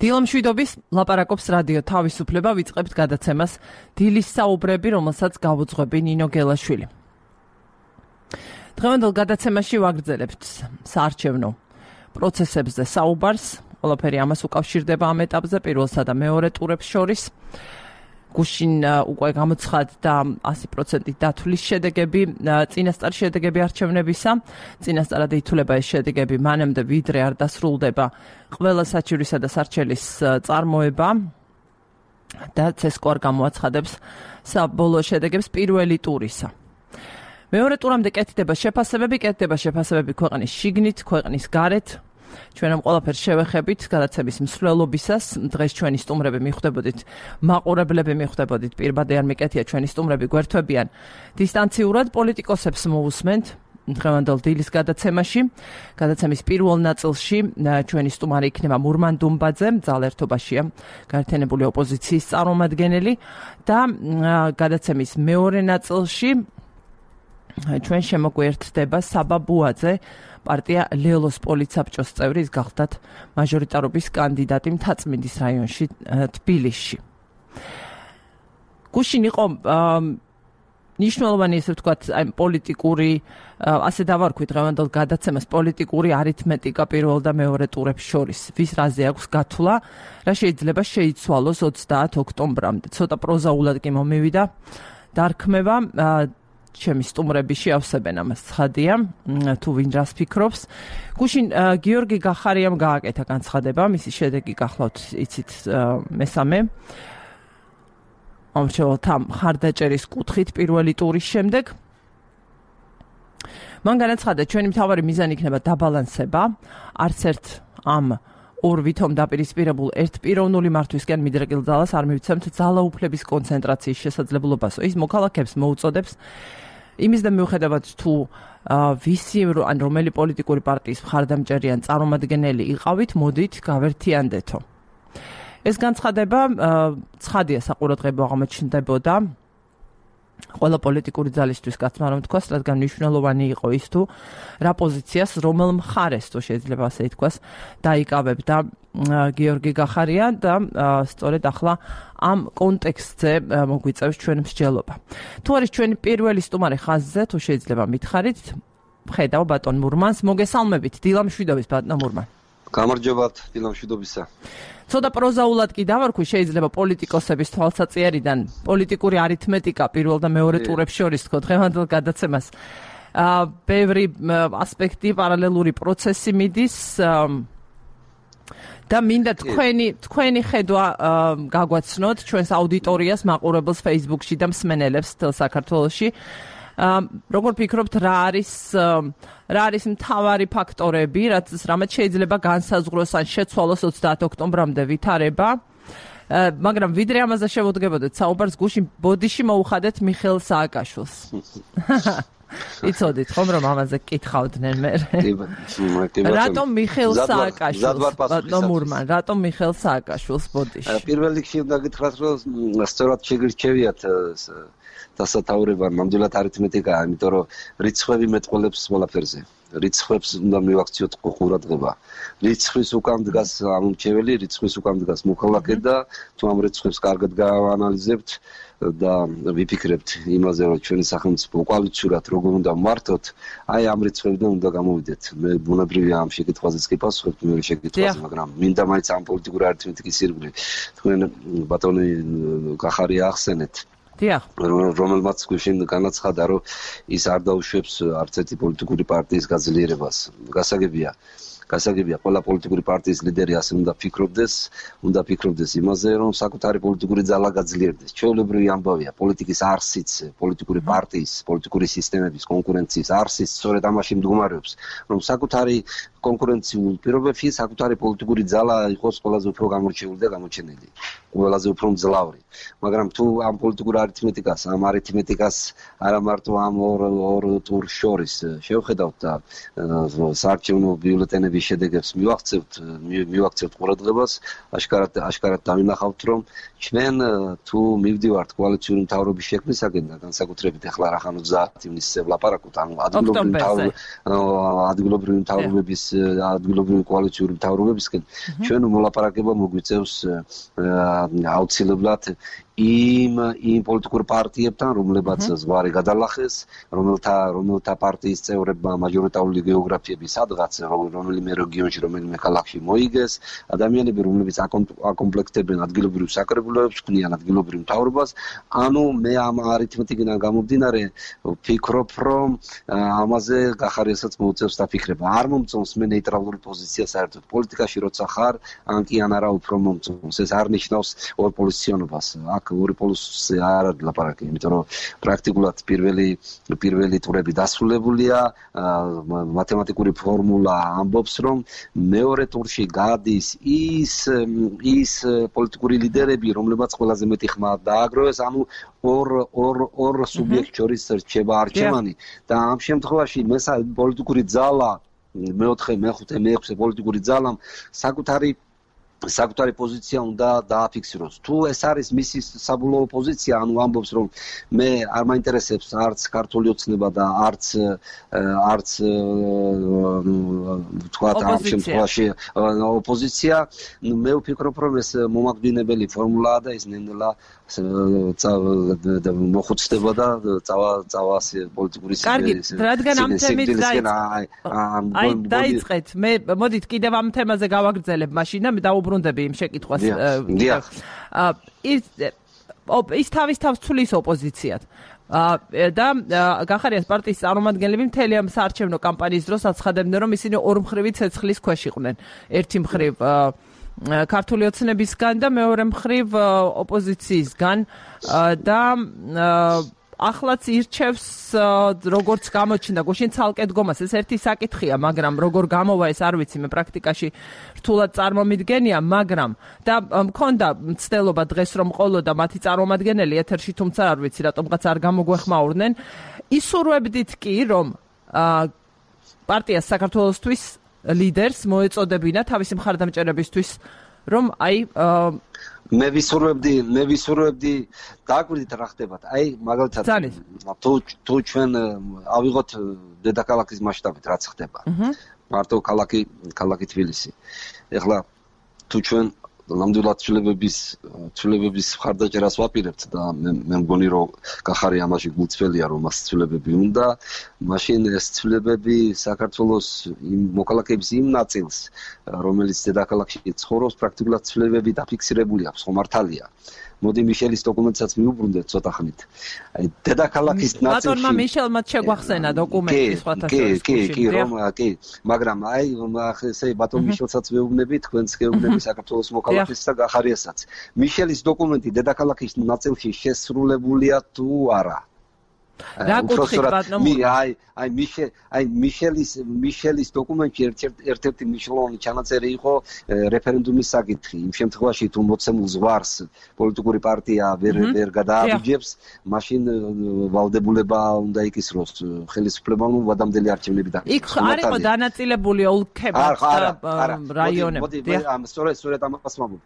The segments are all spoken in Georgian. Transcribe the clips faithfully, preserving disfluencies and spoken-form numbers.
დილამშვიდობის ლაპარაკობს რადიო თავისუფლება, ვიწყებთ გადაცემას დილის საუბრები, რომელსაც გავუძღვები ნინო გელაშვილი. დღევანდელ გადაცემაში ვაგრძელებთ საარჩევნო პროცესებზე საუბარს, ყველაფერი ამას უკავშირდება ამ ეტაპზე, პირველსა და მეორე ტურებს შორის. გუშინ უკვე გამოცხადდა ასი პროცენტით დათვლის შედეგები, წინასწარ შედეგები არჩევნებისა. წინასწარად ითვლება ეს შედეგები მანამდე, ვიდრე არ დასრულდება ყველა საჩივრისა და სარჩელის წარმოება და ცესკო არ გამოაცხადებს საბოლოო შედეგებს პირველი ტურისა. მეორე ტურამდე კეთდება შეფასებები, კეთდება შეფასებები ქვეყნის შიგნით, ქვეყნის გარეთ. ჩვენ ამ ყველაფერს შევეხებით გადაცემის მსვლელობისას. დღეს ჩვენი სტუმრები მიხვდებოდით, მაყურებლები მიხვდებოდით, პირბადე არ მიკეთია, ჩვენი სტუმრები გვერდთვებიან დისტანციურად, პოლიტიკოსებს მოусმენთ დღევანდელ დილის გადაცემაში. გადაცემის პირველ ნაწილში ჩვენი სტუმარი იქნება მურმან დუმბაძე, ძალერთობაშია გაერთიანებული ოპოზიციის წარმომადგენელი და გადაცემის მეორე ნაწილში ჩვენ შემოგვერთდება საბა ბუაძე, პარტია ლელოს პოლიცაბჭოს წევრი, ის გახლდათ მაჟორიტარობის კანდიდატი მთაწმინდის რაიონში თბილისში. გუშინ იყო ნიშნულოვანი, ესე ვთქვათ, აი პოლიტიკური, ასე დავარქვით დღევანდელ გადაცემას, პოლიტიკური არითმეტიკა პირველ და მეორე ტურებს შორის. ვის რაზე აქვს გათვლა, რა შეიძლება შეიცვალოს ოცდაათ ოქტომბრამდე. ცოტა პროზაულად კი მომივიდა დარქმევა. ჩემი სტუმრები შეავსებენ ამას, ცხადია, თუ ვინ რას ფიქრობს. გუშინ გიორგი გახარიამ გააკეთა განცხადება, მისი შედეგი გახლავთ, იცით, მესამე მომრჩეველთა მხარდაჭერის კუთხით პირველი ტურის შემდეგ. მან განაცხადა, ჩვენი მთავარი მიზანი იქნება დაბალანსება, არც ერთ ამ ორ ვითომ დაპირისპირებულ ერთპიროვნული მართვისკენ მიდრეკილ ძალას არ მივცემთ ძალაუფლების კონცენტრაციის შესაძლებლობასო. ის მოქალაქეებს მოუწოდებს იმის და მიუხედავად თუ ვისი ან რომელი პოლიტიკური პარტიის მხარდამჭერი ან წარმომადგენელი იყავით, მოდით გავერთიანდეთო. ეს განცხადება ცხადია საყურადღებო აღმოჩნდებოდა ყველა პოლიტიკური ძალისთვის, კაცმა რომ თქვას, რადგან მნიშვნელოვანი იყო ის თუ რა პოზიციას, რომელ მხარეს თუ შეიძლება ასე ითქვას, დაიკავებდა გიორგი გახარია და სწორედ ახლა ამ კონტექსტზე მოგვიწევს ჩვენ მსჯელობა. თუ არის ჩვენი პირველი სტუმარი ხაზზე, თუ შეიძლება მითხარით, ხედავ ბატონ მურმანს, მოგესალმებით, დილამშვიდობის ბატონ მურმან. გამარჯობათ, დილამშვიდობისა. ცოტა პროზაულად კი დავარქვი, შეიძლება პოლიტიკოსების თვალსაჩინარიდან პოლიტიკური არითმეტიკა პირველ და მეორე ტურებს შორის თქო დღევანდელ გადაცემას. ბევრი ასპექტი, პარალელური პროცესი მიდის და მინდა თქვენი თქვენი ხედვა გაგვაცნოთ ჩვენს აუდიტორიას, მაყურებელს Facebook-ში და მსმენელებს თელ საქართველოში. როგორ ფიქრობთ, რა არის რა არის მთავარი ფაქტორები, რაც რამაც შეიძლება განსაზღვროს ან შეცვალოს ოცდაათ ოქტომბრამდე ვითარება, მაგრამ ვიდრე ამაზე შევუდგებოდეთ საუბარს, გუშინ ბოდიში მოუხადეთ მიხეილ სააკაშვილს. იცოდით ხომ რომ ამაზე კითხავდნენ მე? რატომ მიხეილ სააკაშვილს? ბატონ მურმან, რატომ მიხეილ სააკაშვილს ბოდიში? პირველ რიგში უნდა გითხრათ, რომ სწორად შეგირჩევიათ დასათაურება ნამდვილად არითმეტიკაა, იმიტომ რომ რიცხვები მეტყველებს ყველაფერზე. რიცხვებს უნდა მივაქციოთ ყურადღება. რიცხვის უკან დგას ამომრჩეველი, რიცხვის უკან დგას მოქალაქე და თუ ამ რიცხვებს კარგად გავანალიზებთ და ვიფიქრებთ იმაზე, რომ ჩვენი სახელმწიფო უკვალიჩურად როგორ უნდა მართოთ, აი ამ რიცხვებიდან უნდა გამოვიდეთ. მე ბუნებრივია ამ შეკითხვაზეც კი პასუხობთ მეორე შეკითხვაზე, მაგრამ მინდა მაინც ამ პოლიტიკური არითმეტიკის ირგვლივ თქვენ ბატონი გახარია ახსენეთ. დიახ, რომელმაც გუშინ განაცხადა, რომ ის არ დაუშვებს არც ერთი პოლიტიკური პარტიის გაძლიერებას. გასაგებია, გასაგებია, ყველა პოლიტიკური პარტიის ლიდერი ასე უნდა ფიქრობდეს, უნდა ფიქრობდეს იმაზე, რომ საკუთარი პოლიტიკური ძალა გაძლიერდეს. ჩვეულებრივი ამბავია, პოლიტიკის არსიც, პოლიტიკური პარტიის, პოლიტიკური სისტემების კონკურენციის არსიც სწორედ ამაში მდგომარეობს, რომ საკუთარი კონკურენციულ პირობებში საკუთარი პოლიტიკური ძალა იყოს ყველაზე უფრო გამორჩეული და გამოჩენილი. ყველაზე უფრო მძლავრი. მაგრამ თუ ამ პოლიტიკურ არითმეტიკას, ამ არითმეტიკას არა მარტო ამ ორ ორ ტურს შორის შევხედავთ და საარჩევნო ბიულეტენების შედეგებს მივახცევთ, მივახცევთ ყურადღებას, აშკარად აშკარად დავინახავთ, რომ ჩვენ თუ მივდივართ კოალიციური მთავრობის შექმნისაკენ და განსაკუთრებით ახლა რახან ოცდაათი ივნისზე ვლაპარაკობთ, ანუ ადგილობრივი მთავრობები ადგილობრივი მთავრობების ადგილობრივი კოალიციური მთავრობებისკენ ჩვენ მოლაპარაკება მოგვიწევს აუცილებლად იმ იმ პოლიტიკურ პარტიებთან, რომლებაც ზღვარი გადალახეს, რომელთა რომელთა პარტიის წევრებმა მაჟორიტარული გეოგრაფიები სადღაც რომელიმე რეგიონში, რომელიმე ქალაქში მოიგეს, ადამიანები, რომლებიც აკომპლექტებენ ადგილობრივ საკრებულოებს, ქმნიან ადგილობრივ მთავრობას, ანუ მე ამ არითმეტიკიდან გამომდინარე ვფიქრობ, რომ ამაზე გახარიასაც მოუწევს დაფიქრება. არ მომწონს მე ნეიტრალური პოზიცია საერთოდ პოლიტიკაში, როცა ხარ, ან კი ან არა უფრო მომწონს. ეს არ ნიშნავს ორპოზიციონობას. ორი პოლუსზე არ არის ლაპარაკი, იმიტომ რომ პრაქტიკულად პირველი პირველი ტურები დასრულებულია, მათემატიკური ფორმულა ამბობს, რომ მეორე ტურში გადის ის ის პოლიტიკური ლიდერები, რომლებიც ყველაზე მეტი ხმა დააგროვეს, ანუ ორ ორ ორ სუბიექტ შორის რჩება არჩევანი და ამ შემთხვევაში მესამე პოლიტიკური ძალა, მეოთხე, მეხუთე, მეექვსე პოლიტიკური ძალამ საკუთარი საკუთარი პოზიცია უნდა დააფიქსიროს. თუ ეს არის მისი საბოლოო პოზიცია, ანუ ამბობს, რომ მე არ მაინტერესებს არც ქართული ოცნება და არც არც თქვათ ამ შემთხვევაში ოპოზიცია, მე ვფიქრობ, რომ ეს მომაკვდინებელი ფორმულაა და ის ნენელა მოხუცდება და წავა წავა პოლიტიკური სისტემის. კარგი, რადგან ამ თემით აი დაიწყეთ, მე მოდით კიდევ ამ თემაზე გავაგრძელებ მაშინ და მე დაუბრუნდები იმ შეკითხვას. ის ის თავის თავს ცulis ოპოზიციად. და გახარიას პარტიის წარმომადგენლები მთელი ამ საარჩევნო კამპანიის დროს აცხადებდნენ, რომ ისინი ორმხრივი ცეცხლის ქვეშ იყვნენ. ერთი მხრივ ქართული ოცნებისგან და მეორე მხრივ ოპოზიციისგან და ახლაც ირჩევს როგორც გამოჩნდა გუშინ ცალკე დგომას. ეს ერთი საკითხია, მაგრამ როგორ გამოვა ეს არ ვიცი, მე პრაქტიკაში რთულად წარმომიდგენია, მაგრამ და მქონდა მცდელობა დღეს რომ ყოლოდა მათი წარმომადგენელი ეთერში, თუმცა არ ვიცი რატომღაც არ გამოგვეხმაურნენ. ისურვებდით კი, რომ პარტია საქართველოსთვის ლიდერს მოეწოდებინა თავისი მხარდამჭერებისთვის, რომ აი მე ვისურვებდი, მე ვისურვებდი დააკვირდით რა ხდებათ. აი, მაგალითად, თუ თუ ჩვენ ავიღოთ დედაქალაქის მასშტაბით რაც ხდება. მარტო ქალაქი, ქალაქი თბილისი. ეხლა თუ ჩვენ ნამდვილად ცვლილებების ცვლილებების მხარდაჭერას ვაპირებთ და მე მე მგონი რომ გახარი ამაში გულწრფელია რომ მას ცვლილებები უნდა, მაშინ ეს ცვლილებები საქართველოს იმ მოქალაქეების იმ ნაწილს, რომელიც დედაქალაქში ცხოვრობს, პრაქტიკულად ცვლილებები დაფიქსირებული აქვს, ხო მართალია. მოდი მიშელის დოკუმენტსაც მიუბრუნდეთ ცოტა ხნით. აი დედაქალაქის ნაწილში ბატონმა მიშელმა შეგვახსენა დოკუმენტი სხვათა შორის. კი, კი, კი, რომ კი, მაგრამ აი ესე ბატონ მიშელსაც ვეუბნები, თქვენც გეუბნები საქართველოს მოქალაქეს და გახარიასაც. მიშელის დოკუმენტი დედაქალაქის ნაწილში შესრულებულია თუ არა? რა კუთხით ბატონო? აი, აი მიშელ, აი მიშელის მიშელის დოკუმენტში ერთ-ერთი მნიშვნელოვანი ჩანაწერი იყო რეფერენდუმის საკითხი. იმ შემთხვევაში თუ მოცემულ ზღვარს პოლიტიკური პარტია ვერ ვერ გადააბიჯებს, მაშინ ვალდებულება უნდა იკისროს ხელისუფლებამ ვადამდელი არჩევნები დაიწყოს. იქ არ იყო დანაწილებული ოლქებად და რაიონები. მოდი, ამ სწორედ სწორედ ამას ვამბობ.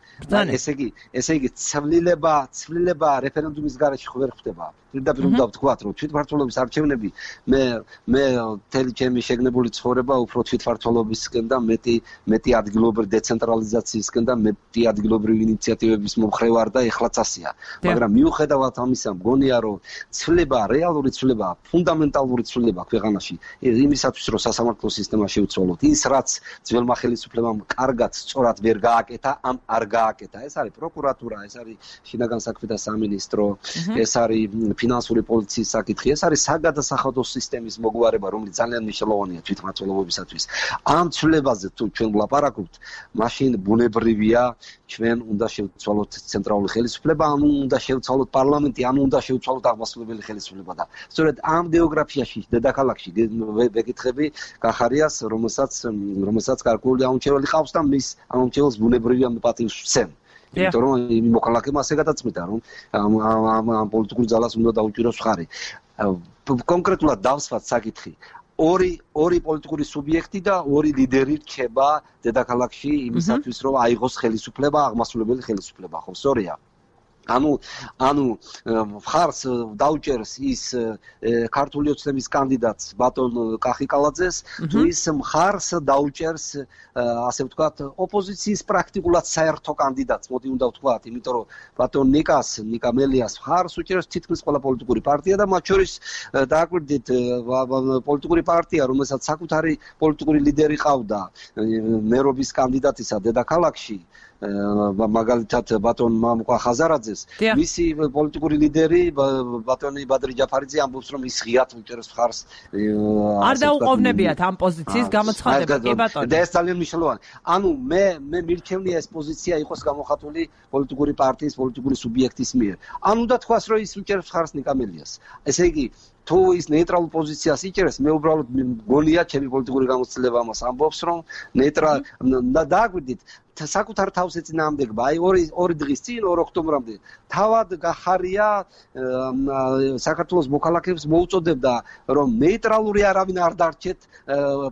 ესე იგი, ესე იგი ცვლილება, ცვლილება რეფერენდუმის გარეშე ვერ ხდება. პირდაპირ უნდა ვთქვათ, რომ თვითმმართველობის არჩევნები მე მე თელი ჩემი შეგნებული ცხოვრება უფრო თვითმმართველობისკენ და მეტი მეტი ადგილობრივი დეცენტრალიზაციისკენ და მეტი ადგილობრივი ინიციატივების მომხრე ვარ და ეხლაც ასია. მაგრამ მიუხედავად ამისა, მგონია რომ ცვლილება, რეალური ცვლილება, ფუნდამენტალური ცვლილება ქვეყანაში იმისათვის, რომ სასამართლო სისტემა შეუცვალოთ, ის რაც ძველმა ხელისუფლებამ კარგად, სწორად ვერ გააკეთა, ამ არ გააკეთა. ეს არის პროკურატურა, ეს არის შინაგან საქმეთა სამინისტრო, ეს არის ფინანსური პოლიციის საკითხი, ეს არის საგადასახადო სისტემის მოგვარება, რომელიც ძალიან მნიშვნელოვანია თვითმმართველობისათვის. ამ ცვლილებაზე თუ ჩვენ ვლაპარაკობთ, მაშინ ბუნებრივია ჩვენ უნდა შევცვალოთ ცენტრალური ხელისუფლება, ანუ უნდა შევცვალოთ პარლამენტი, ანუ უნდა შევცვალოთ აღმასრულებელი ხელისუფლება და სწორედ ამ გეოგრაფიაში დედაქალაქში ვეკითხები გახარიას, რომელსაც რომელსაც გარკვეული ამომრჩეველი ყავს და მის ამომრჩეველს ბუნებრივია პატივს ვცემ. იმიტომ რომ იმ მოქალაქემა ასე გადაწყვიტა რომ ამ პოლიტიკურ ძალას უნდა დაუჭიროს მხარი. კონკრეტულად დავსვათ საკითხი. ორი ორი პოლიტიკური სუბიექტი და ორი ლიდერი რჩება დედაქალაქში იმისათვის რომ აიღოს ხელისუფლება, აღმასრულებელი ხელისუფლება, ხო, სწორია? ანუ ანუ მხარს დაუჭერს ის ქართული ოცნების კანდიდატს ბატონ კახიკალაძეს თუ ის მხარს დაუჭერს ასე ვთქვათ ოპოზიციის პრაქტიკულად საერთო კანდიდატს მოდი უნდა ვთქვათ იმიტომ რომ ბატონ ნიკას ნიკა მელიას მხარს უჭერს თითქმის ყველა პოლიტიკური პარტია და მათ შორის დააკვირდით პოლიტიკური პარტია რომელსაც საკუთარი პოლიტიკური ლიდერი ყავდა მერობის კანდიდატისა დედაქალაქში მაგალითად ბატონ მამუკა ხაზარაძეს მისი პოლიტიკური ლიდერი ბატონი ბადრი ჯაფარიძე ამბობს რომ ის ღიად უჭერს მხარს არ დაუყოვნებიათ ამ პოზიციის გამოცხადება კი ბატონო და ეს ძალიან მნიშვნელოვანია ანუ მე მე მირჩევნია ეს პოზიცია იყოს გამოხატული პოლიტიკური პარტიის პოლიტიკური სუბიექტის მიერ ან უნდა თქვას რომ ის უჭერს მხარს ნიკამელიას ესე იგი თუ ის ნეიტრალურ პოზიციას იჭერს მე უბრალოდ მგონია ჩემი პოლიტიკური გამოცდილება ამას ამბობს რომ ნეიტრალ და დააკვირდით საკუთარ თავს ეწინააღმდეგება აი ორი ორი დღის წინ ორ ოქტომბრამდე თავად გახარია საქართველოს მოქალაქეებს მოუწოდებდა რომ ნეიტრალური არავინ არ დარჩეთ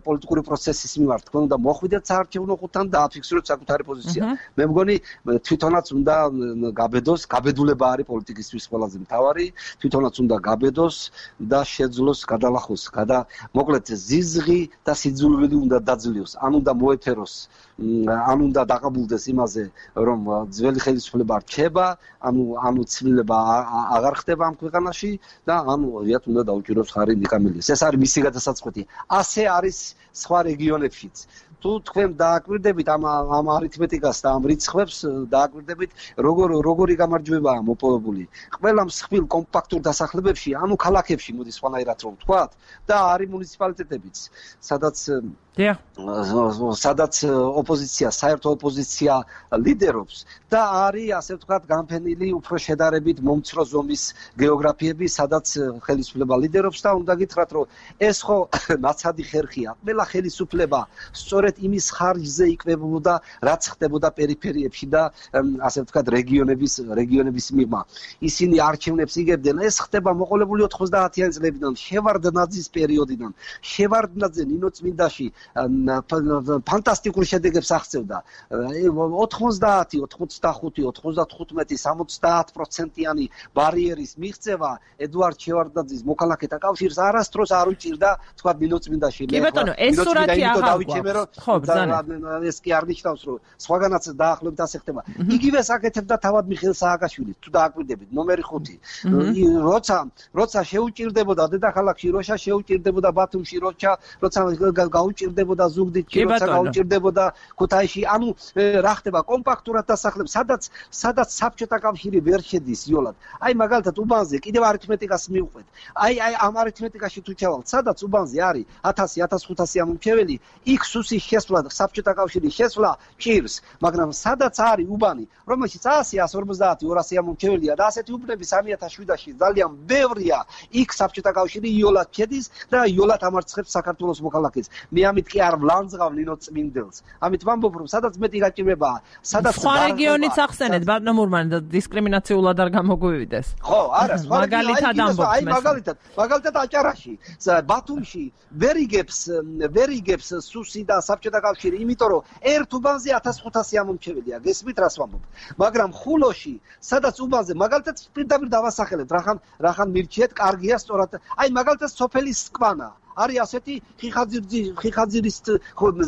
პოლიტიკური პროცესის მიმართ თქვენ უნდა მოხვიდეთ საარჩევნო ხუთთან და აფიქსიროთ საკუთარი პოზიცია მე მგონი თვითონაც უნდა გაბედოს გაბედულება არის პოლიტიკისთვის ყველაზე მთავარი თვითონაც უნდა გაბედოს და შეძლოს გადალახოს გადა მოკლედ ზიზღი და სიძულვილი უნდა დაძლიოს ან უნდა მოეფეროს ან უნდა დაყაბულდეს იმაზე რომ ძველი ხელისუფლება რჩება ანუ ანუ ცვლილება აღარ ხდება ამ ქვეყანაში და ანუ რეალურად უნდა დაუჭიროს ხარი ნიკამელიას ეს არის მისი გადასაწყვეტი ასე არის სხვა რეგიონებშიც თუ თქვენ დააკვირდებით ამ ამ არითმეტიკას და ამ რიცხვებს დააკვირდებით როგორ როგორი გამარჯვებაა მოპოვებული ყველა მსხვილ კომპაქტურ დასახლებებში ანუ ქალაქებში მოდი სხვანაირად რომ ვთქვათ და არის მუნიციპალიტეტებიც სადაც სადაც ოპოზიცია საერთო ოპოზიცია ლიდერობს და არის ასე ვთქვათ განფენილი უფრო შედარებით მომცრო ზომის გეოგრაფიები სადაც ხელისუფლება ლიდერობს და უნდა გითხრათ რომ ეს ხო ნაცადი ხერხია ყველა ხელისუფლება სწორედ იმის ხარჯზე იკვებებოდა რაც ხდებოდა პერიფერიებში და ასე ვთქვათ რეგიონების რეგიონების მიღმა ისინი არჩევნებს იგებდნენ ეს ხდება მოყოლებული ოთხმოცდაათიანი წლებიდან შევარდნაძის პერიოდიდან შევარდნაძე ნინოწმინდაში ფანტასტიკურ შედეგებს აღწევდა ოთხმოცდაათი ოთხმოცდახუთი ოცდათხუთმეტი სამოცდაათ პროცენტიანი ბარიერის მიღწევა ედუარდ შევარდნაძის მოქალაქეთა კავშირს არასდროს არ უჭირდა თქვა ნინოწმინდაში კი ბატონო ეს სურათი აღარ გვაქვს ხო ბრძანა ეს კი არ ნიშნავს რომ სხვაგანაც დაახლოებით ასე ხდება იგივეს აკეთებდა თავად მიხეილ სააკაშვილი თუ დააკვირდებით ნომერი ხუთი როცა როცა შეუჭირდებოდა დედაქალაქში როცა შეუჭირდებოდა ბათუმში როცა როცა გაუჭირდებოდა ზუგდიდში როცა გაუჭირდებოდა ქუთაისში ანუ რა ხდება კომპაქტურად დასახლებს სადაც სადაც საბჭოთა კავშირი ვერ შედის იოლად აი მაგალითად უბანზე კიდევ არითმეტიკას მივყვეთ აი აი ამ არითმეტიკაში თუ ჩავალთ სადაც უბანზე არის ათასი ათასხუთასი ამომრჩეველი იქ სუსის შესვლა საბჭოთა კავშირის შესვლა ჭირს მაგრამ სადაც არის უბანი რომელშიც ასი ასი ორმოცდაათი ორასი ამომრჩეველია და ასეთი უბნები სამი ათას შვიდაში ძალიან ბევრია იქ საბჭოთა კავშირი იოლად შედის და იოლად ამარცხებს საქართველოს მოქალაქეს მე ამით კი არ ვლანძღავ ნინოწმინდელს ამით ვამბობ რომ სადაც მეტი გაჭირვებაა სადაც სხვა რეგიონიც ახსენეთ ბატონო მურმანი და დისკრიმინაციულად არ გამოგვივიდეს ხო არა სხვა მაგალითად ამბობთ აი მაგალითად მაგალითად აჭარაში ბათუმში ვერიგებს ვერიგებს სუსი და საბჭოთა კავშირი იმიტომ რომ ერთ უბანზე ათას ხუთასი ამომრჩეველია გესმით რას ვამბობ მაგრამ ხულოში სადაც უბანზე მაგალითად პირდაპირ დავასახელებ რახან რახან მირჩიეთ კარგია სწორად აი მაგალითად სოფელი სკვანა არის ასეთი ხიხაძირის ხიხაძირის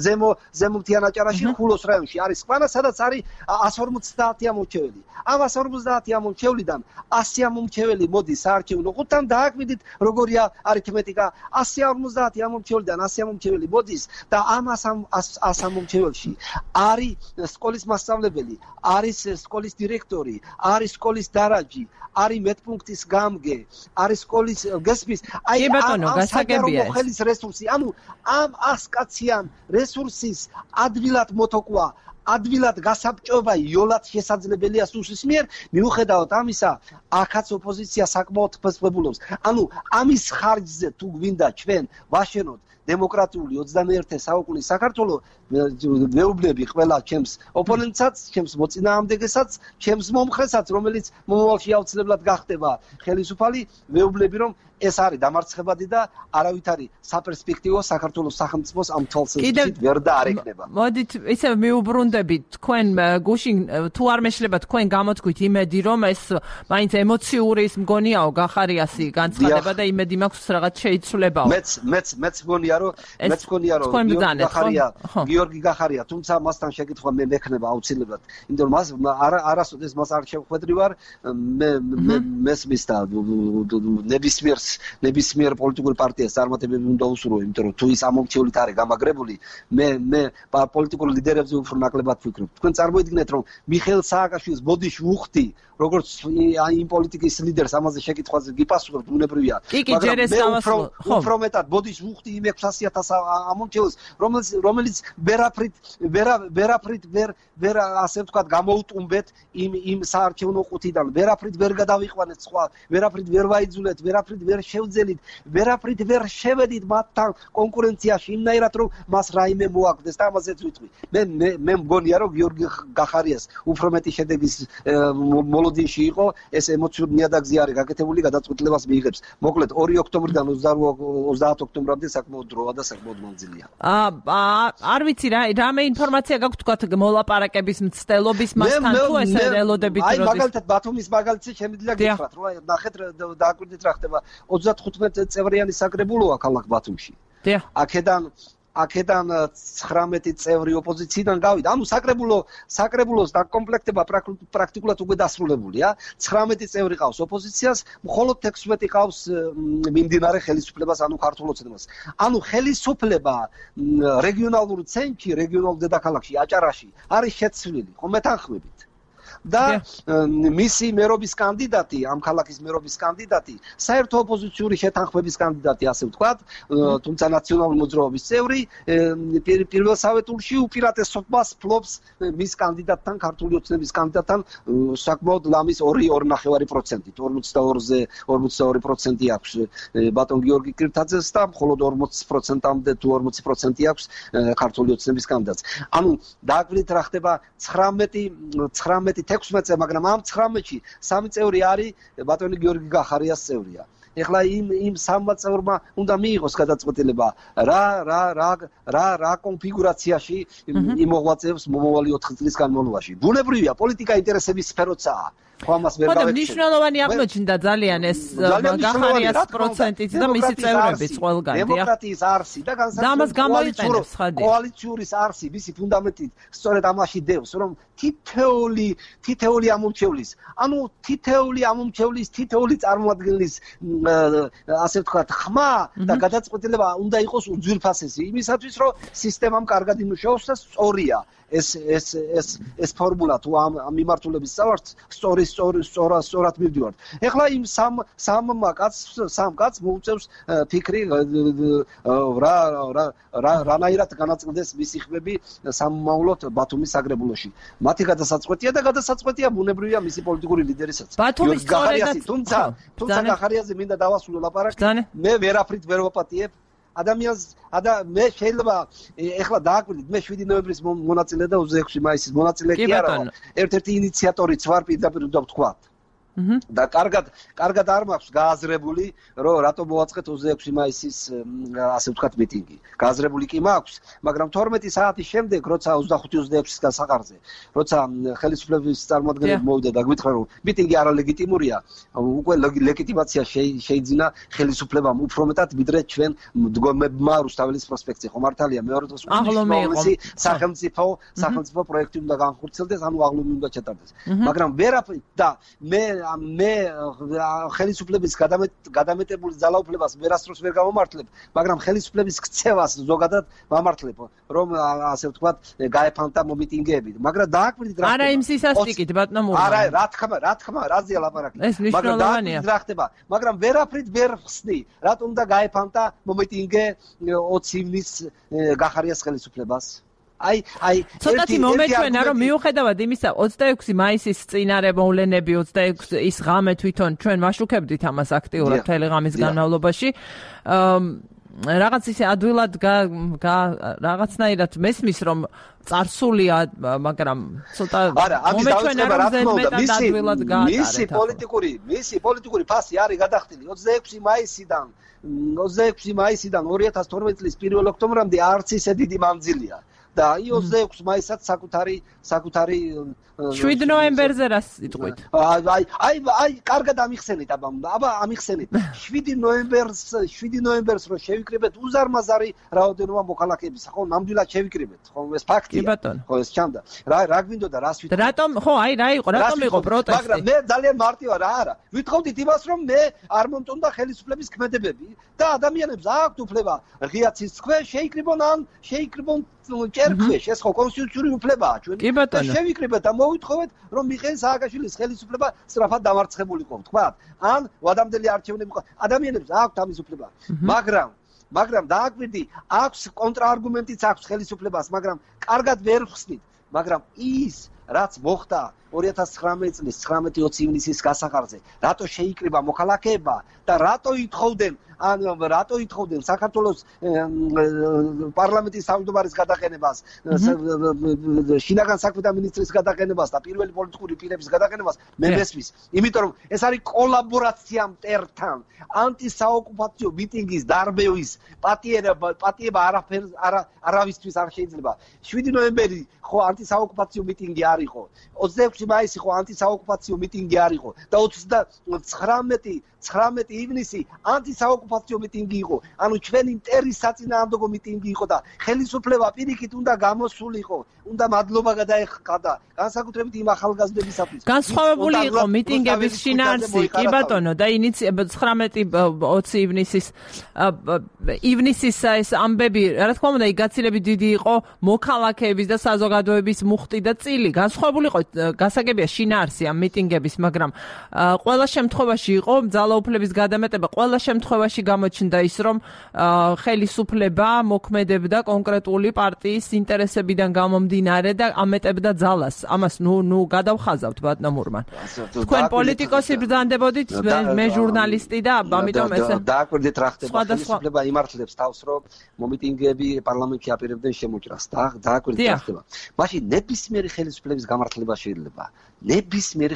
ზემო ზემოთიან აჭარაში ხულოს რაიონში არის სკვანა სადაც არის ასი ორმოცდაათი ამომრჩეველი ამ ასი ორმოცდაათი ამომრჩევლიდან ასი ამომრჩეველი მოდის საარჩევნო ხუთთან დააკვირდით როგორია არითმეტიკა ასი ორმოცდაათი ამომრჩევლიდან ასი ამომრჩეველი მოდის და ამ ას ამომრჩეველში არის სკოლის მასწავლებელი არის სკოლის დირექტორი არის სკოლის დარაჯი არის მეტპუნქტის გამგე არის სკოლის გესმის აი ამ გასაგებია ხელის რესურსი ანუ ამ ასკაციან რესურსის ადვილად მოთოკვა ადვილად გასაბჭობა იოლად შესაძლებელია სუსის მიერ მიუხედავად ამისა აქაც ოპოზიცია საკმაოდ ფესვებულობს ანუ ამის ხარჯზე თუ გვინდა ჩვენ ვაშენოთ დემოკრატიული ოცდამეერთე საუკუნის საქართველოს მეუბნები ყველა ჩემს ოპონენტსაც, ჩემს მოწინააღმდეგესაც, ჩემს მომხრესაც, რომელიც მომავალში აუცილებლად გახდება ხელისუფალი, მეუბნები რომ ეს არის დამარცხებადი და არავითარი საპერსპექტივო საქართველოს სახელმწიფოს ამ თვალსაზრისით ვერ და არ ეკნება. მოდით ისე მიუბრუნდებით თქვენ გუშინ თუ არ მეშლება თქვენ გამოთქვით იმედი რომ ეს მაინც ემოციური ის მგონიაო გახარიასი განცხადება და იმედი მაქვს რაღაც შეიცვლებაო. მეც მეც მეც მგონია რომ მეც მგონია რომ გიორგი გახარია გიორგი გახარია თუმცა მასთან შეკითხვა მე მექნება აუცილებლად. იმიტომ რომ მას არასოდეს მას არ შევხვედრი ვარ მე მესმის და ნებისმიერ ნებისმიერ პოლიტიკურ პარტიას წარმატებები უნდა უსურვო, იმიტომ რომ თუ ის ამომრჩევლით არის გამაგრებული, მე მე პოლიტიკურ ლიდერებზე უფრო ნაკლებად ვფიქრობ. თქვენ წარმოიდგინეთ, რომ მიხეილ სააკაშვილის ბოდიში უხდი, როგორც იმ პოლიტიკის ლიდერს ამაზე შეკითხვაზე გიპასუხებთ, უნებრივია. მაგრამ უფრო მეტად ბოდიში უხდი იმ ექვსასი ათას ამომრჩევლს, რომელიც რომელიც ვერაფრით ვერაფრით ვერ ვერ ასე ვთქვათ გამოუტუმბეთ იმ იმ საარჩევნო ყუთიდან, ვერაფრით ვერ გადავიყვანეთ სხვა, ვერაფრით ვერ ვაიძულეთ, ვერაფრით ვერ შევძელით, ვერაფრით ვერ შევედით მათთან კონკურენციაში, იმნაირად რომ მას რაიმე მოაგდეს და ამაზეც ვიტყვი. მე მე მგონია რომ გიორგი გახარიას უფრო მეტი შედეგის მოლოდინში იყო, ეს ემოციური ნიადაგზე არის გაკეთებული, გადაწყვეტილებას მიიღებს. მოკლედ ორი ოქტომბრიდან ოცდაათ ოქტომბრამდე საკმაოდ დროა და საკმაოდ მანძილია. აა არ ვიცი რა, რამე ინფორმაცია გაქვთ თქვათ მოლაპარაკების მცდელობის მასთან თუ ესე ელოდებით როდის. აი მაგალითად ბათუმის მაგალითზე შემიძლია გითხრათ, რომ ნახეთ დააკვირდით რა ხდება. ოცდათხუთმეტ წევრიანი საკრებულოა ქალაქ ბათუმში. აქედან აქედან ცხრამეტი წევრი ოპოზიციიდან გავიდა. ანუ საკრებულო საკრებულოს დაკომპლექტება პრაქტიკულად უკვე დასრულებულია. ცხრამეტი წევრი ყავს ოპოზიციას, მხოლოდ ექვსმეტი ყავს მიმდინარე ხელისუფლებას, ანუ ქართულ ოცნებას. ანუ ხელისუფლება რეგიონალურ ცენტრში, რეგიონალურ დედაქალაქში, აჭარაში არის შეცვლილი, ხომ მეთანხმებით. და მისი მერობის კანდიდატი, ამ ქალაქის მერობის კანდიდატი, საერთო ოპოზიციური შეთანხმების კანდიდატი, ასე ვთქვათ, თუმცა ნაციონალური მოძრაობის წევრი, პირველ საავეტურში უპირატესობას ფლობს მის კანდიდატთან, ქართული ოცნების კანდიდატთან, საკმაოდ ლამის ორი ნახევარი პროცენტით, ორმოცდაორზე ორმოცდაორი პროცენტი აქვს ბატონ გიორგი კირთაძეს და მხოლოდ ორმოცი პროცენტამდე თუ ორმოცი პროცენტი აქვს ქართული ოცნების კანდიდატს. ანუ დააკვირდით რა ხდება ცხრამეტი ცხრამეტი ექვსმეტზე, მაგრამ ამ ცხრამეტში სამი წევრი არის ბატონი გიორგი გახარიას წევრია. ეხლა იმ იმ სამმა წევრმა უნდა მიიღოს გადაწყვეტილება რა რა რა რა რა კონფიგურაციაში იმოღვაწეებს მომავალი ოთხი წლის განმავლობაში. ბუნებრივია, პოლიტიკა ინტერესების სფეროცაა. ხო ამას ვერ დავეცე. მნიშვნელოვანი აღმოჩნდა ძალიან ეს გახარიას პროცენტით და მისი წევრების ყველგან. დემოკრატიის არსი და განსაკუთრებით კოალიციურის არსი, მისი ფუნდამენტით სწორედ ამაში დევს, რომ თითეული თითეული ამომრჩევლის, ანუ თითეული ამომრჩევლის, თითეული წარმოადგენლის ასე ვთქვათ, ხმა და გადაწყვეტილება უნდა იყოს უძვირფასესი იმისათვის, რომ სისტემამ კარგად იმუშაოს და სწორია. ეს ეს ეს ეს ფორმულა თუ ამ მიმართულების წავართ, სწორი სწორი სწორა სწორად მივდივართ. ეხლა იმ სამ სამ კაცს სამ კაცს მოუწევს ფიქრი რა რა რანაირად განაწილდეს მისი ხმები სამომავლოდ ბათუმის საკრებულოში. მათი გადასაწყვეტია და გადასაწყვეტია ბუნებრივია მისი პოლიტიკური ლიდერისაც. ბათუმის სწორედაც თუმცა თუმცა გახარიაზე მინდა დავასრულო ლაპარაკი. მე ვერაფრით ვერ ვაპატიებ ადამიანს ადა მე შეიძლება ეხლა დააკვირდით, მე შვიდი ნოემბრის მონაწილე და ოცდაექვსი მაისის მონაწილე კი არა, ერთ-ერთი ინიციატორიც ვარ პირდაპირ უნდა ვთქვა. და კარგად კარგად არ მაქვს გააზრებული, რომ რატო მოაწყეთ ოცდაექვსი მაისის ასე ვთქვათ მიტინგი. გააზრებული კი მაქვს, მაგრამ თორმეტი საათის შემდეგ, როცა ოცდახუთი ოცდაექვსის გასაყარზე, როცა ხელისუფლების წარმომადგენლები მოვიდა და გვითხრა, რომ მიტინგი არალეგიტიმურია, უკვე ლეგიტიმაცია შეიძინა ხელისუფლებამ უფრო მეტად, ვიდრე ჩვენ მდგომებმა რუსთაველის პროსპექტზე. ხო მართალია, მეორე დღეს უნიშნულოვანი სახელმწიფო სახელმწიფო პროექტი უნდა განხორციელდეს, ანუ აღლუმი უნდა ჩატარდეს. მაგრამ ვერაფრით და მე მე ხელისუფლების გადამეტებული ძალაუფლებას ვერასდროს ვერ გამომართლებ, მაგრამ ხელისუფლების ქცევას ზოგადად ვამართლებ, რომ ასე ვთქვათ, გაეფანტა მომიტინგეები. მაგრამ დააკვირდით რა ხდება. არა იმ სისასტიკით, ბატონო მურმანი. არა, რა თქმა, რა თქმა, რაზეა ლაპარაკი. მაგრამ დააკვირდით რა ხდება. მაგრამ ვერაფრით ვერ ხსნი, რატომ უნდა გაეფანტა მომიტინგე ოცი ივნის გახარიას ხელისუფლებას. აი აი ცოტათი მომეჩვენა რომ მიუხედავად იმისა ოცდაექვსი მაისის წინარე მოვლენები ოცდაექვსი ის ღამე თვითონ ჩვენ ვაშუქებდით ამას აქტიურად მთელი ღამის განმავლობაში რაღაც ისე ადვილად რაღაცნაირად მესმის რომ წარსულია, მაგრამ ცოტა მომეჩვენა რომ ზედმეტად ადვილად გაატარეთ. მისი პოლიტიკური, მისი პოლიტიკური ფასი არის გადახდილი ოცდაექვსი მაისიდან ოცდაექვსი მაისიდან ორი ათას თორმეტი წლის პირველ ოქტომბრამდე არც ისე დიდი მანძილია. და აი ოცდაექვსი მაისაც საკუთარი საკუთარი შვიდ ნოემბერზე რას იტყვით? აი აი აი კარგად ამიხსენეთ, აბა აბა ამიხსენეთ. შვიდი ნოემბერს შვიდი ნოემბერს რო შევიკრიბეთ უზარმაზარი რაოდენობა მოქალაქეების, ხო, ნამდვილად შევიკრიბეთ, ხო, ეს ფაქტია. ხო, ეს ჩანდა. რა რა გვინდოდა რას ვითხოვდით? რატომ, ხო, აი რა იყო, რატომ იყო პროტესტი? მაგრამ მე ძალიან მარტივია რა არა. ვითხოვდით იმას, რომ მე არ მომწონდა ხელისუფლების ქმედებები და ადამიანებს აქვთ უფლება ღია ცის ქვეშ შეიკრიბონ ან შეიკრიბონ ჭერქვეშ, ეს ხო კონსტიტუციური უფლებაა ჩვენ. და შევიკრიბეთ და მოვითხოვეთ, რომ მიხეილ სააკაშვილის ხელისუფლება სწრაფად დამარცხებულიყო, თქვა. ან ვადამდელი არჩევნები ყო. ადამიანებს აქვთ ამის უფლება. მაგრამ მაგრამ დააკვირდი, აქვს კონტრაარგუმენტიც აქვს ხელისუფლებას, მაგრამ კარგად ვერ ხსნით. მაგრამ ის რაც მოხდა ორი ათას ცხრამეტი წლის ცხრამეტი ოცი ივნისის გასახარზე, რატო შეიკრიბა მოქალაქეება და რატო ითხოვდნენ ან რატო ითხოვდნენ საქართველოს პარლამენტის თავმჯდომარის გადაყენებას, შინაგან საქმეთა მინისტრის გადაყენებას და პირველი პოლიტიკური პირების გადაყენებას მე მესმის. იმიტომ რომ ეს არის კოლაბორაცია მტერთან, ანტისაოკუპაციო მიტინგის დარბევის პატიება პატიება არაფერ არავისთვის არ შეიძლება. შვიდი ნოემბერი ხო ანტისაოკუპაციო მიტინგი არ იყო. ოცდაექვსი მაისი ხო ანტისაოკუპაციო მიტინგი არ იყო და ოცდაცხრამეტი ცხრამეტი ივნისი ანტისაოკუპაციო მიტინგი იყო. ანუ ჩვენი მტერის საწინააღმდეგო მიტინგი იყო და ხელისუფლება პირიქით უნდა გამოსულიყო, უნდა მადლობა გადაეხადა განსაკუთრებით იმ ახალგაზრდებისათვის. განსხვავებული იყო მიტინგების შინაარსი, კი ბატონო, და ინიციება ცხრამეტი ოცი ივნისის ივნისის ეს ამბები, რა თქმა უნდა, გაცილებით დიდი იყო მოქალაქეების და საზოგადოების მუხტი და წილი. განსხვავებული იყო გასაგებია შინაარსი ამ მიტინგების, მაგრამ ყველა შემთხვევაში იყო ძალაუფლების გადამეტება, ყველა შემთხვევაში გამოჩნდა ის, რომ ხელისუფლება მოქმედებდა კონკრეტული პარტიის ინტერესებიდან გამომდინარე და ამეტებდა ძალას. ამას ნუ ნუ გადავხაზავთ ბატონო მურმან. თქვენ პოლიტიკოსი ბრძანდებოდით, მე ჟურნალისტი და ამიტომ ეს დააკვირდით რა ხდება. ხელისუფლება იმართლებს თავს, რომ მომიტინგეები პარლამენტში აპირებდნენ შემოჭრას. დააკვირდით რა ხდება. მაშინ ნებისმიერი ხელისუფლების გამართლება შეიძლება. ნებისმიერი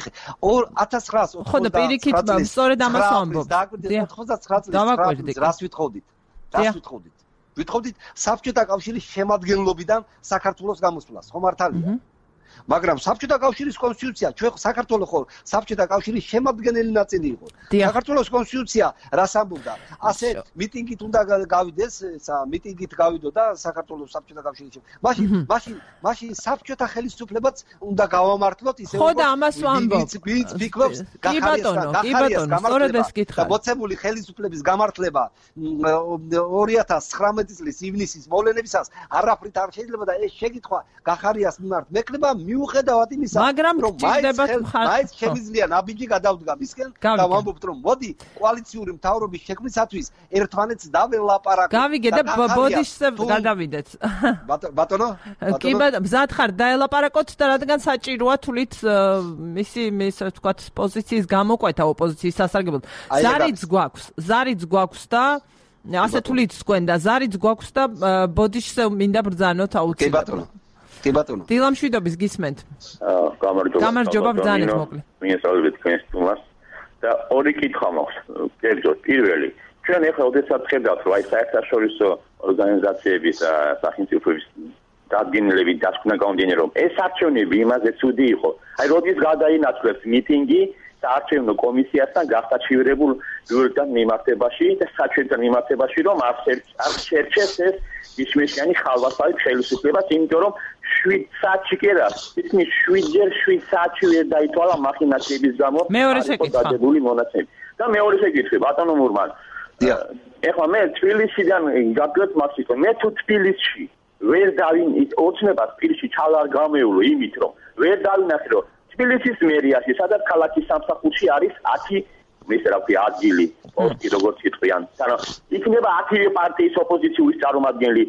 ათას ცხრაას ოცდაოთხ წლის სწორედ ამას ვამბობ. ოცდაცხრა წლის რას ვითხოვდით? რას ვითხოვდით? ვითხოვდით საბჭოთა კავშირის შემადგენლობიდან საქართველოს გამოსვლას, ხო მართალია? მაგრამ საბჭოთა კავშირის კონსტიტუცია, ჩვენ საქართველოს ხო საბჭოთა კავშირის შემადგენელი ნაწილი იყო. საქართველოს კონსტიტუცია რას ამბობდა? ასე მიტინგით უნდა გავიდეს, მიტინგით გავიდო და საქართველოს საბჭოთა კავშირის. მაშინ, მაშინ, მაშინ საბჭოთა ხელისუფლებაც უნდა გავამართლოთ ისე ხო და ამას ვამბობ. ვინც ფიქრობს გახარიას და მოცემული ხელისუფლების გამართლება ორი ათას ცხრამეტი წლის ივნისის მოვლენებისას არაფრით არ შეიძლება და ეს შეკითხვა გახარიას მიმართ მექნება მიუხედავად იმისა, რომ მაინც შემიძლია ნაბიჯი გადავდგა მისკენ და ვამბობთ, რომ მოდი კოალიციური მთავრობის შექმნისათვის ერთმანეთს დაველაპარაკოთ. გავიგე და ბოდიშზე გადავიდეთ. ბატონო? კი ბატონო, მზად ხარ დაელაპარაკოთ და რადგან საჭიროა თulit მისი ისე ვთქვათ პოზიციის გამოკვეთა ოპოზიციის სასარგებლოდ. ზარიც გვაქვს, ზარიც გვაქვს და ასე თulit თქვენ და ზარიც გვაქვს და ბოდიშზე მინდა ბრძანოთ აუცილებლად. კი ბატონო. კი ბატონო. დილამშვიდობის გისმენთ. გამარჯობა. გამარჯობა, ბრძანეთ მოკლე. მიესალმებით თქვენს სტუმარს და ორი კითხვა მაქვს. კერძოდ, პირველი, ჩვენ ახლა ოდესაც ხედავთ, რომ აი საერთაშორისო ორგანიზაციების სახელმწიფოების დადგენილები დასკვნა გამომდინარე, რომ ეს არჩევნები იმაზე ცუდი იყო. აი როდის გადაინაცვლეს მიტინგი საარჩევნო კომისიასთან გასაჩივრებულ ბიუროთან მიმართებაში და საჩვენთან მიმართებაში, რომ არ შერჩეს ეს ისმეშიანი ხალვასავი ხელისუფლებას, იმიტომ რომ შვიდ საათში კი არა, ისმის შვიდჯერ შვიდ საათში ვერ დაითვალა მახინაციების გამო მეორე შეკითხვა დადებული მონაცემები. და მეორე შეკითხვა, ბატონო მურმან. ეხლა მე თბილისიდან გაკლებ მაქსიკო, მე თუ თბილისში ვერ დავინ ოცნებას პირში ჩალა არ გამეულო იმით, რომ ვერ დავინახე, რომ თბილისის მერიაში, სადაც ქალაქის სამსახურში არის ათი ისე რა ქვია ადგილი, პოსტი როგორც იტყვიან. ანუ იქნება ათი პარტიის ოპოზიციის წარმომადგენელი,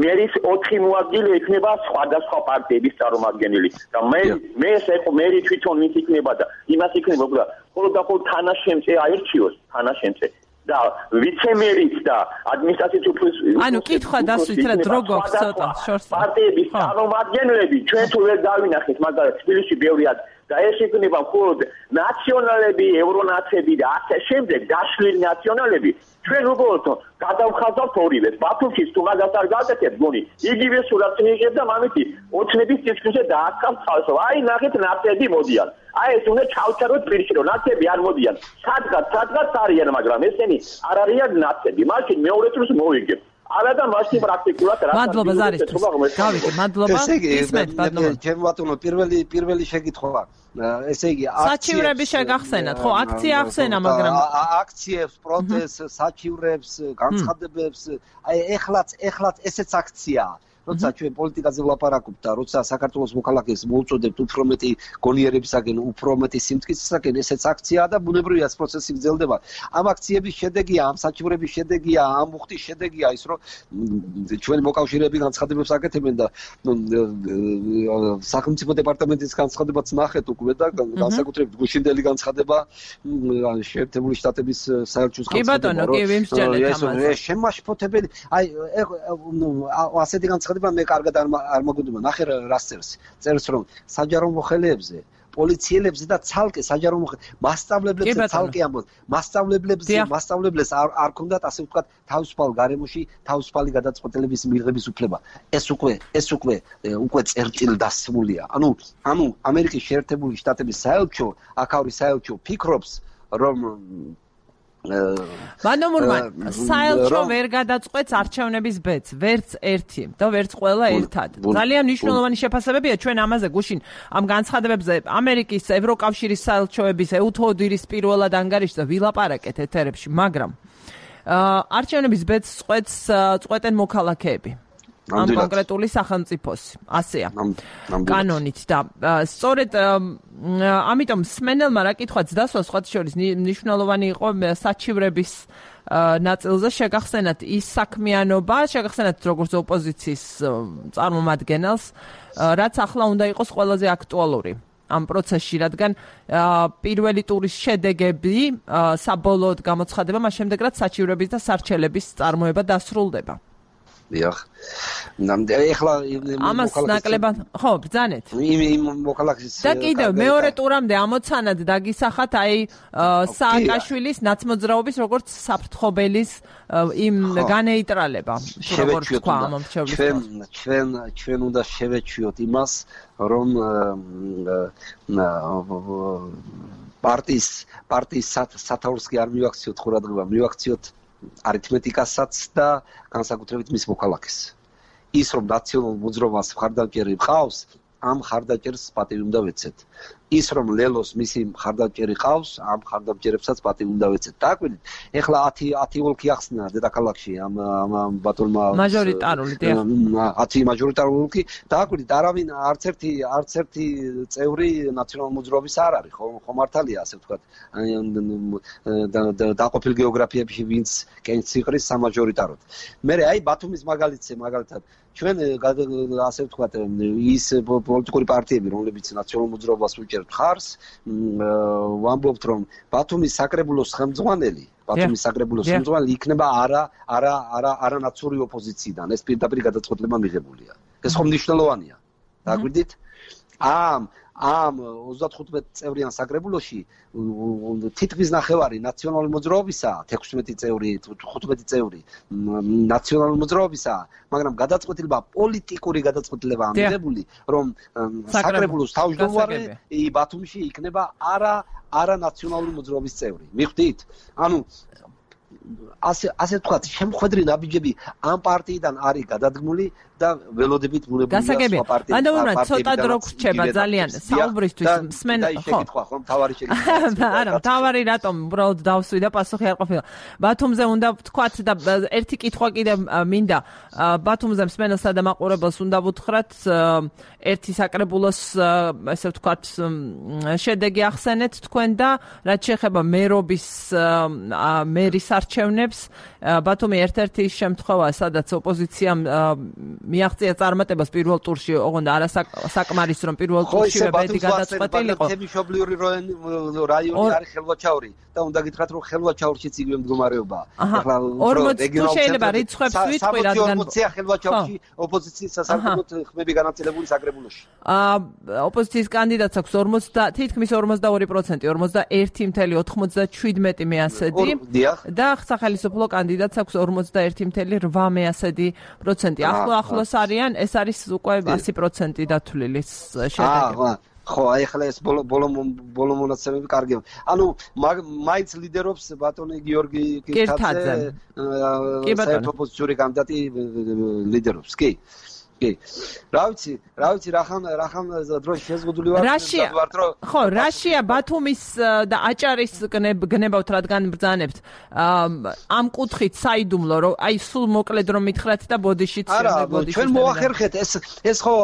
მერის ოთხი მოადგილე იქნება სხვადასხვა პარტიების წარმომადგენელი. და მე მე ესე ხო მერი თვითონ ის იქნება და იმას იქნება, უბრალოდ მხოლოდ და მხოლოდ თანაშემწე აერჩიოს, თანაშემწე. და ვიცემერიც და ადმინისტრაციის უფროსი ანუ კითხვა დასვით რა დრო გვაქვს ცოტა შორს პარტიების წარმომადგენლები ჩვენ თუ ვერ დავინახეთ მაგალითად თბილისში ბევრია და ეს იქნება მხოლოდ ნაციონალები, ევრონაცები და ასე შემდეგ დაშლილი ნაციონალები ჩვენ უბრალოდ გადავხაზავთ ორივეს. ბათუმში თუ მაგას არ გაკეთებთ გონი იგივე სურათს მიიღებთ და მამეთი ოცნების წისქვილზე დაასკამთ ხალხს. აი ნახეთ ნაცები მოდიან. აი ეს უნდა ჩავჩაროთ პირში რომ ნაცები არ მოდიან. სადღაც სადღაც არიან მაგრამ ესენი არ არიან ნაცები. მაშინ მეორე წელს მოვიგებთ. არა და მაშინ პრაქტიკულად რა მადლობა ზარისთვის. გავიგე, მადლობა. ისმენთ ბატონო. ჩემ ბატონო პირველი პირველი შეკითხვა. ესე იგი საჩივრების შეგახსენათ, ხო, აქცია ახსენა, მაგრამ აქციებს, პროტესტს, საჩივრებს, განცხადებებს, აი ეხლაც ეხლაც ესეც აქციაა. როცა ჩვენ პოლიტიკაზე ვლაპარაკობთ და როცა საქართველოს მოქალაქეს მოუწოდებთ უფრო მეტი გონიერებისაგან, უფრო მეტი სიმტკიცისაგან, ესეც აქციაა და ბუნებრივია ეს პროცესი გრძელდება. ამ აქციების შედეგია, ამ საჩივრების შედეგია, ამ მუხტის შედეგია ის, რომ ჩვენი მოკავშირეები განცხადებებს აკეთებენ და სახელმწიფო დეპარტამენტის განცხადებაც ნახეთ უკვე და განსაკუთრებით გუშინდელი განცხადება შეერთებული შტატების საელჩოს განცხადება. კი ბატონო, კი ვიმსჯელეთ ამაზე. ეს შემაშფოთებელი, აი ასეთი განცხადება მე კარგად არ მოგდობა. ნახე რას წერს. წერს რომ საჯარო მოხელეებზე, პოლიციელებზე და ცალკე საჯარო მასწავლებლებზე ცალკე ამბობ. მასწავლებლებზე, მასწავლებლებს არ არ ქონდათ ასე ვთქვათ თავისუფალ გარემოში თავისუფალი გადაწყვეტილების მიღების უფლება. ეს უკვე ეს უკვე უკვე წერტილი დასმულია. ანუ ანუ ამერიკის შეერთებული შტატების საელჩო, აქაური საელჩო ფიქრობს რომ ბანომურმან საელჩო ვერ გადაწყვეტს არჩევნების ბედს, ვერც ერთი და ვერც ყველა ერთად. ძალიან მნიშვნელოვანი შეფასებებია ჩვენ ამაზე გუშინ ამ განცხადებებზე ამერიკის ევროკავშირის საელჩოების ეუთოდირის პირველად ანგარიშზე ვილაპარაკეთ ეთერებში, მაგრამ არჩევნების ბედს წყვეტს წყვეტენ მოქალაქეები. ამ კონკრეტული სახელმწიფოს ასეა კანონით და სწორედ ამიტომ სმენელმა რა კითხვაც დასვა სხვათა შორის მნიშვნელოვანი იყო საჩივრების ნაწილზე შეგახსენათ ის საქმიანობა, შეგახსენათ როგორც ოპოზიციის წარმომადგენელს, რაც ახლა უნდა იყოს ყველაზე აქტუალური ამ პროცესში, რადგან პირველი ტურის შედეგები საბოლოოდ გამოცხადება მას შემდეგ, რაც საჩივრების და სარჩელების წარმოება დასრულდება. დიახ. ეხლა ამას ნაკლებად ხო ბრძანეთ. იმ მოქალაქის და კიდევ მეორე ტურამდე ამოცანად დაგისახათ აი სააკაშვილის ნაცმოძრაობის როგორც საფრთხობელის იმ განეიტრალება. როგორც თქვა ამ მრჩევლის ჩვენ ჩვენ ჩვენ უნდა შევეჩვიოთ იმას, რომ პარტიის პარტიის სათაურს კი არ მივაქციოთ ყურადღება, მივაქციოთ არითმეტიკასაც და განსაკუთრებით მის მოქალაქეს. ის რომ ნაციონალურ მოძრაობას მხარდამჭერი ყავს, ამ მხარდამჭერს პატივი უნდა ვეცეთ. ის რომ ლელოს მისი მხარდამჭერი ყავს, ამ მხარდამჭერებსაც პატივი უნდა ვეცეთ. დააკვირდით, ეხლა ათი ათი ოლქი ახსნა დედაქალაქში ამ ამ ბატონმა მაჟორიტარული დიახ. ათი მაჟორიტარული ოლქი. დააკვირდით, არავინ არც ერთი არც ერთი წევრი ნაციონალურ მოძრაობის არ არის, ხო ხო მართალია ასე ვთქვათ. დაყოფილ გეოგრაფიებში ვინც კენს იყრის სამაჟორიტაროდ. მე აი ბათუმის მაგალითზე მაგალითად ჩვენ ასე ვთქვათ ის პოლიტიკური პარტიები, რომლებიც ნაციონალურ მოძრაობას უჭერთ ხარს, ვამბობთ რომ ბათუმის საკრებულოს ხელმძღვანელი, ბათუმის საკრებულოს ხელმძღვანელი იქნება არა არა არა არანაცური ოპოზიციიდან. ეს პირდაპირ გადაწყვეტილება მიღებულია. ეს ხომ მნიშვნელოვანია. დაგვიდით? ამ ამ ოცდათხუთმეტ წევრიან საკრებულოში თითქმის ნახევარი ნაციონალური მოძრაობისა, ექვსმეტი წევრი, ხუთმეტი წევრი ნაციონალური მოძრაობისა, მაგრამ გადაწყვეტილება პოლიტიკური გადაწყვეტილებაა მიღებული, რომ საკრებულოს თავმჯდომარე ბათუმში იქნება არა არა ნაციონალური მოძრაობის წევრი. მიხვდით? ანუ ასე ასე თქვათ, შემხვედრი ნაბიჯები ამ პარტიიდან არის გადადგმული და ველოდებით მუნებულია სხვა პარტიებთან. ანუ ცოტა დრო გრჩება ძალიან საუბრისთვის მსმენ ხო ხო თავარი შეგიძლია. არა, თავარი რატომ უბრალოდ დავსვი და პასუხი არ ყოფილა. ბათუმზე უნდა ვთქვათ და ერთი კითხვა კიდე მინდა. ბათუმზე მსმენელსა და მაყურებელს უნდა ვუთხრათ ერთი საკრებულოს ესე ვთქვათ შედეგი ახსენეთ თქვენ და რაც შეეხება მერობის მერის არჩევნებს, ბათუმი ერთ-ერთი შემთხვევაა, სადაც ოპოზიციამ მიაღწია წარმატებას პირველ ტურში, ოღონდ არასაკმარის რომ პირველ ტურში ბედი გადაწყვეტილიყო. თემიშობლიური რაიონი არის ხელვაჩაური და უნდა გითხრათ რომ ხელვაჩაურშიც იგივე მდგომარეობაა. ახლა ორმოცი თუ შეიძლება რიცხვებს ვიტყვი, რადგან ორმოცი ხელვაჩაურში ოპოზიციის სასარგებლოდ ხმები განაწილებული საკრებულოში. აა ოპოზიციის კანდიდატს აქვს ორმოცი თითქმის ორმოცდაორი პროცენტი, ორმოცდაერთი წუთი ოცდაშვიდმეტი მეასედი და სახელმწიფო კანდიდატს აქვს ორმოცდაერთი წუთი რვა მეასედი პროცენტი. ახლო ახლოს არიან, ეს არის უკვე ასი პროცენტი დათვლილი შედეგი. ხო, აი ახლა ეს ბოლო ბოლო ბოლო მონაცემები კარგია. ანუ მაინც ლიდერობს ბატონი გიორგი კირთაძე, საერთო ოპოზიციური კანდიდატი ლიდერობს, კი. კი. რა ვიცი, რა ვიცი, რახან რახან დროში შეზღუდული ვარ, დავართ რომ ხო, რაშია ბათუმის და აჭარის გნებავთ, რადგან ბრძანებთ. ამ კუთხით საიდუმლო, რომ აი სულ მოკლედ რომ მითხრათ და ბოდიშიც არა, ჩვენ მოახერხეთ ეს ეს ხო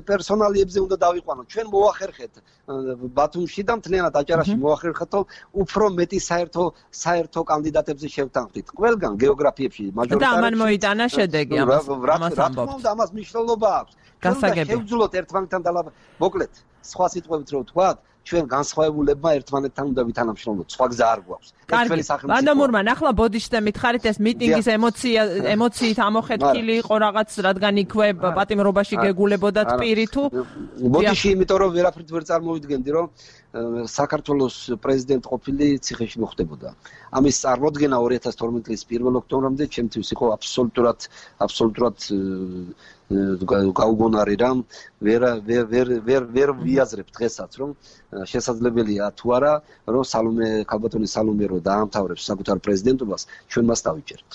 პერსონალიებზე უნდა დავიყვანოთ. ჩვენ მოახერხეთ ბათუმში და მთლიანად აჭარაში მოახერხეთ, რომ უფრო მეტი საერთო საერთო კანდიდატებზე შევთანხმდით. ყველგან გეოგრაფიებში მაჟორიტარებში და ამან მოიტანა შედეგი ამას ამბობთ. ამას მნიშვნელობა აქვს. გასაგები. შევძლოთ ერთმანეთთან დალაბ. მოკლედ, სხვა სიტყვებით რო ვთქვათ, ჩვენ განსხვავებულებმა ერთმანეთთან უნდა ვითანამშრომლოთ. სხვა გზა არ გვაქვს. კარგი. ვანდამურმან, ახლა ბოდიშზე მითხარით ეს მიტინგის ემოცია ემოციით ამოხეთქილი იყო რაღაც, რადგან იქვე პატიმრობაში გეგულებოდათ პირი თუ ბოდიში, იმიტომ რომ ვერაფრით ვერ წარმოვიდგენდი, რომ საქართველოს პრეზიდენტ ყოფილი ციხეში მოხდებოდა. ამის წარმოდგენა ორი ათას თორმეტი წლის პირველ ოქტომბრამდე ჩემთვის იყო აბსოლუტურად აბსოლუტურად გაუგონარი რამ ვერ ვერ ვერ ვერ ვიაზრებ დღესაც რომ შესაძლებელია თუ არა რომ სალომე ქალბატონი სალომე რო დაამთავრებს საკუთარ პრეზიდენტობას ჩვენ მას დავიჭერთ.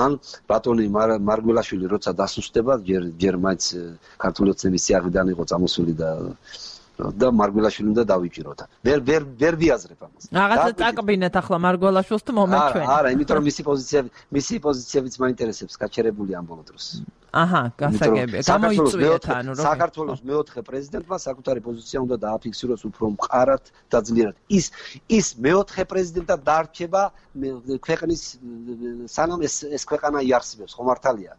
ან ბატონი მარგველაშვილი როცა დასუსტდება ჯერ ჯერ მაინც ქართული ოცნების სიახლიდან იყო წამოსული და და მარგველაშვილი უნდა დავიჭიროთ. ვერ ვერ ვერ ვიაზრებ ამას. რაღაცა წაკბინეთ ახლა მარგველაშვილს თუ მომეთ ჩვენ. არა, იმიტომ რომ მისი პოზიციები, მისი პოზიციებიც მაინტერესებს გაჩერებული ამ ბოლო დროს. აჰა, გასაგებია. გამოიწვიეთ ანუ რომ საქართველოს მეოთხე პრეზიდენტმა საკუთარი პოზიცია უნდა დააფიქსიროს უფრო მყარად და ძლიერად. ის ის მეოთხე პრეზიდენტად დარჩება ქვეყნის სანამ ეს ეს ქვეყანა იარსებებს, ხო მართალია.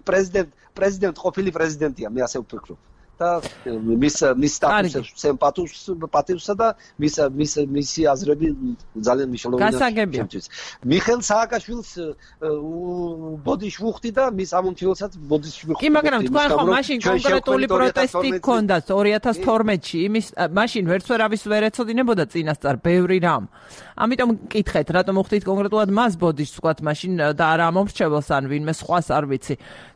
პრეზიდენტ პრეზიდენტ ყოფილი პრეზიდენტია, მე ასე ვფიქრობ. და მის მის სტატუსს სემპათიურს პატივსა და მის მის მისი აზრები ძალიან მნიშვნელოვანია. მიხეილ სააკაშვილს ბოდიში ვუხდი და მის ამომრჩეველსაც ბოდიში ვუხდი. კი, მაგრამ თქვენ ხო მაშინ კონკრეტული პროტესტი გქონდათ ორი ათას თორმეტში, იმის მაშინ ვერც ვერავის ვერ ეცოდინებოდა წინასწარ ბევრი რამ. ამიტომ მკითხეთ, რატომ უხდით კონკრეტულად მას ბოდიშს ვთქვათ მაშინ და არა ამომრჩეველს ან ვინმე სხვას არ ვიცი.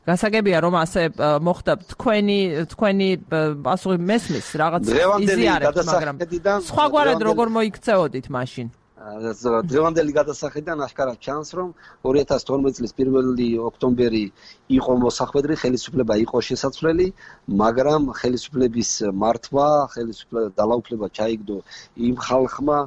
გასაგებია რომ ასე მოხდა თქვენი თქვენი პასუხი მესმის რაღაც იზიარებთ, მაგრამ სხვაგვარად როგორ მოიქცეოდით მაშინ? დღევანდელი გადასახედიდან აშკარად ჩანს, რომ ორი ათას თორმეტი წლის პირველი ოქტომბერი იყო მოსახვედრი, ხელისუფლება იყო შესაძლებელი, მაგრამ ხელისუფლების მართვა, ხელისუფლება დალაუფლება ჩაიგდო იმ ხალხმა,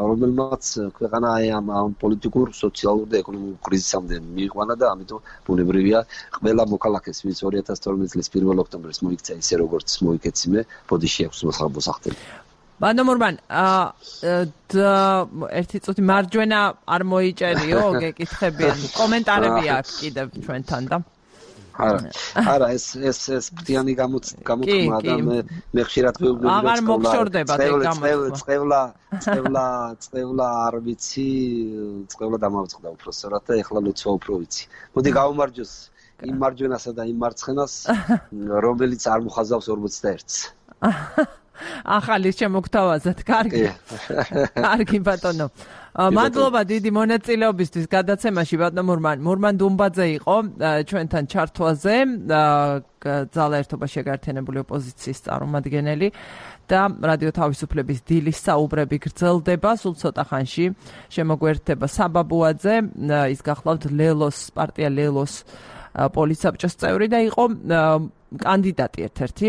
რომელმაც ქვეყანა ამ პოლიტიკურ, სოციალურ და ეკონომიკურ კრიზისამდე მიიყვანა და ამიტომ ბუნებრივია ყველა მოქალაქეს, ვინც ორი ათას თორმეტი წლის პირველ ოქტომბერს მოიქცა ისე როგორც მოიქეცი მე, ბოდიში აქვს მოსახდელი. ბანდამურმან, ერთი წუთი მარჯვენა არ მოიჭერიო, გეკითხებიან. კომენტარები აქვს კიდევ ჩვენთან და არა, არა, ეს ეს ეს ბრძიანი გამოთქმა და მე მე ხშირად ვეუბნები რომ აღარ მოგშორდება ეგ გამოთქმა. წევლა, წევლა, წევლა არ ვიცი, წევლა დამავწყდა უბრალოდ და ეხლა ლოცვა უფრო ვიცი. მოდი გავუმარჯოს იმ მარჯვენასა და იმ მარცხენას, რომელიც არ მოხაზავს ორმოცდაერთს. ახალი შემოგთავაზეთ, კარგი. კარგი ბატონო. მადლობა დიდი მონაწილეობისთვის გადაცემაში ბატონო მურმან. მურმან დუმბაძე იყო ჩვენთან ჩართვაზე, ძალაერთობა შეგართიანებული ოპოზიციის წარმომადგენელი და რადიო თავისუფლების დილის საუბრები გრძელდება. სულ ცოტა ხანში შემოგვერთდება საბაბუაძე, ის გახლავთ ლელოს პარტია ლელოს პოლიცსაბჭოს წევრი და იყო კანდიდატი ერთ-ერთი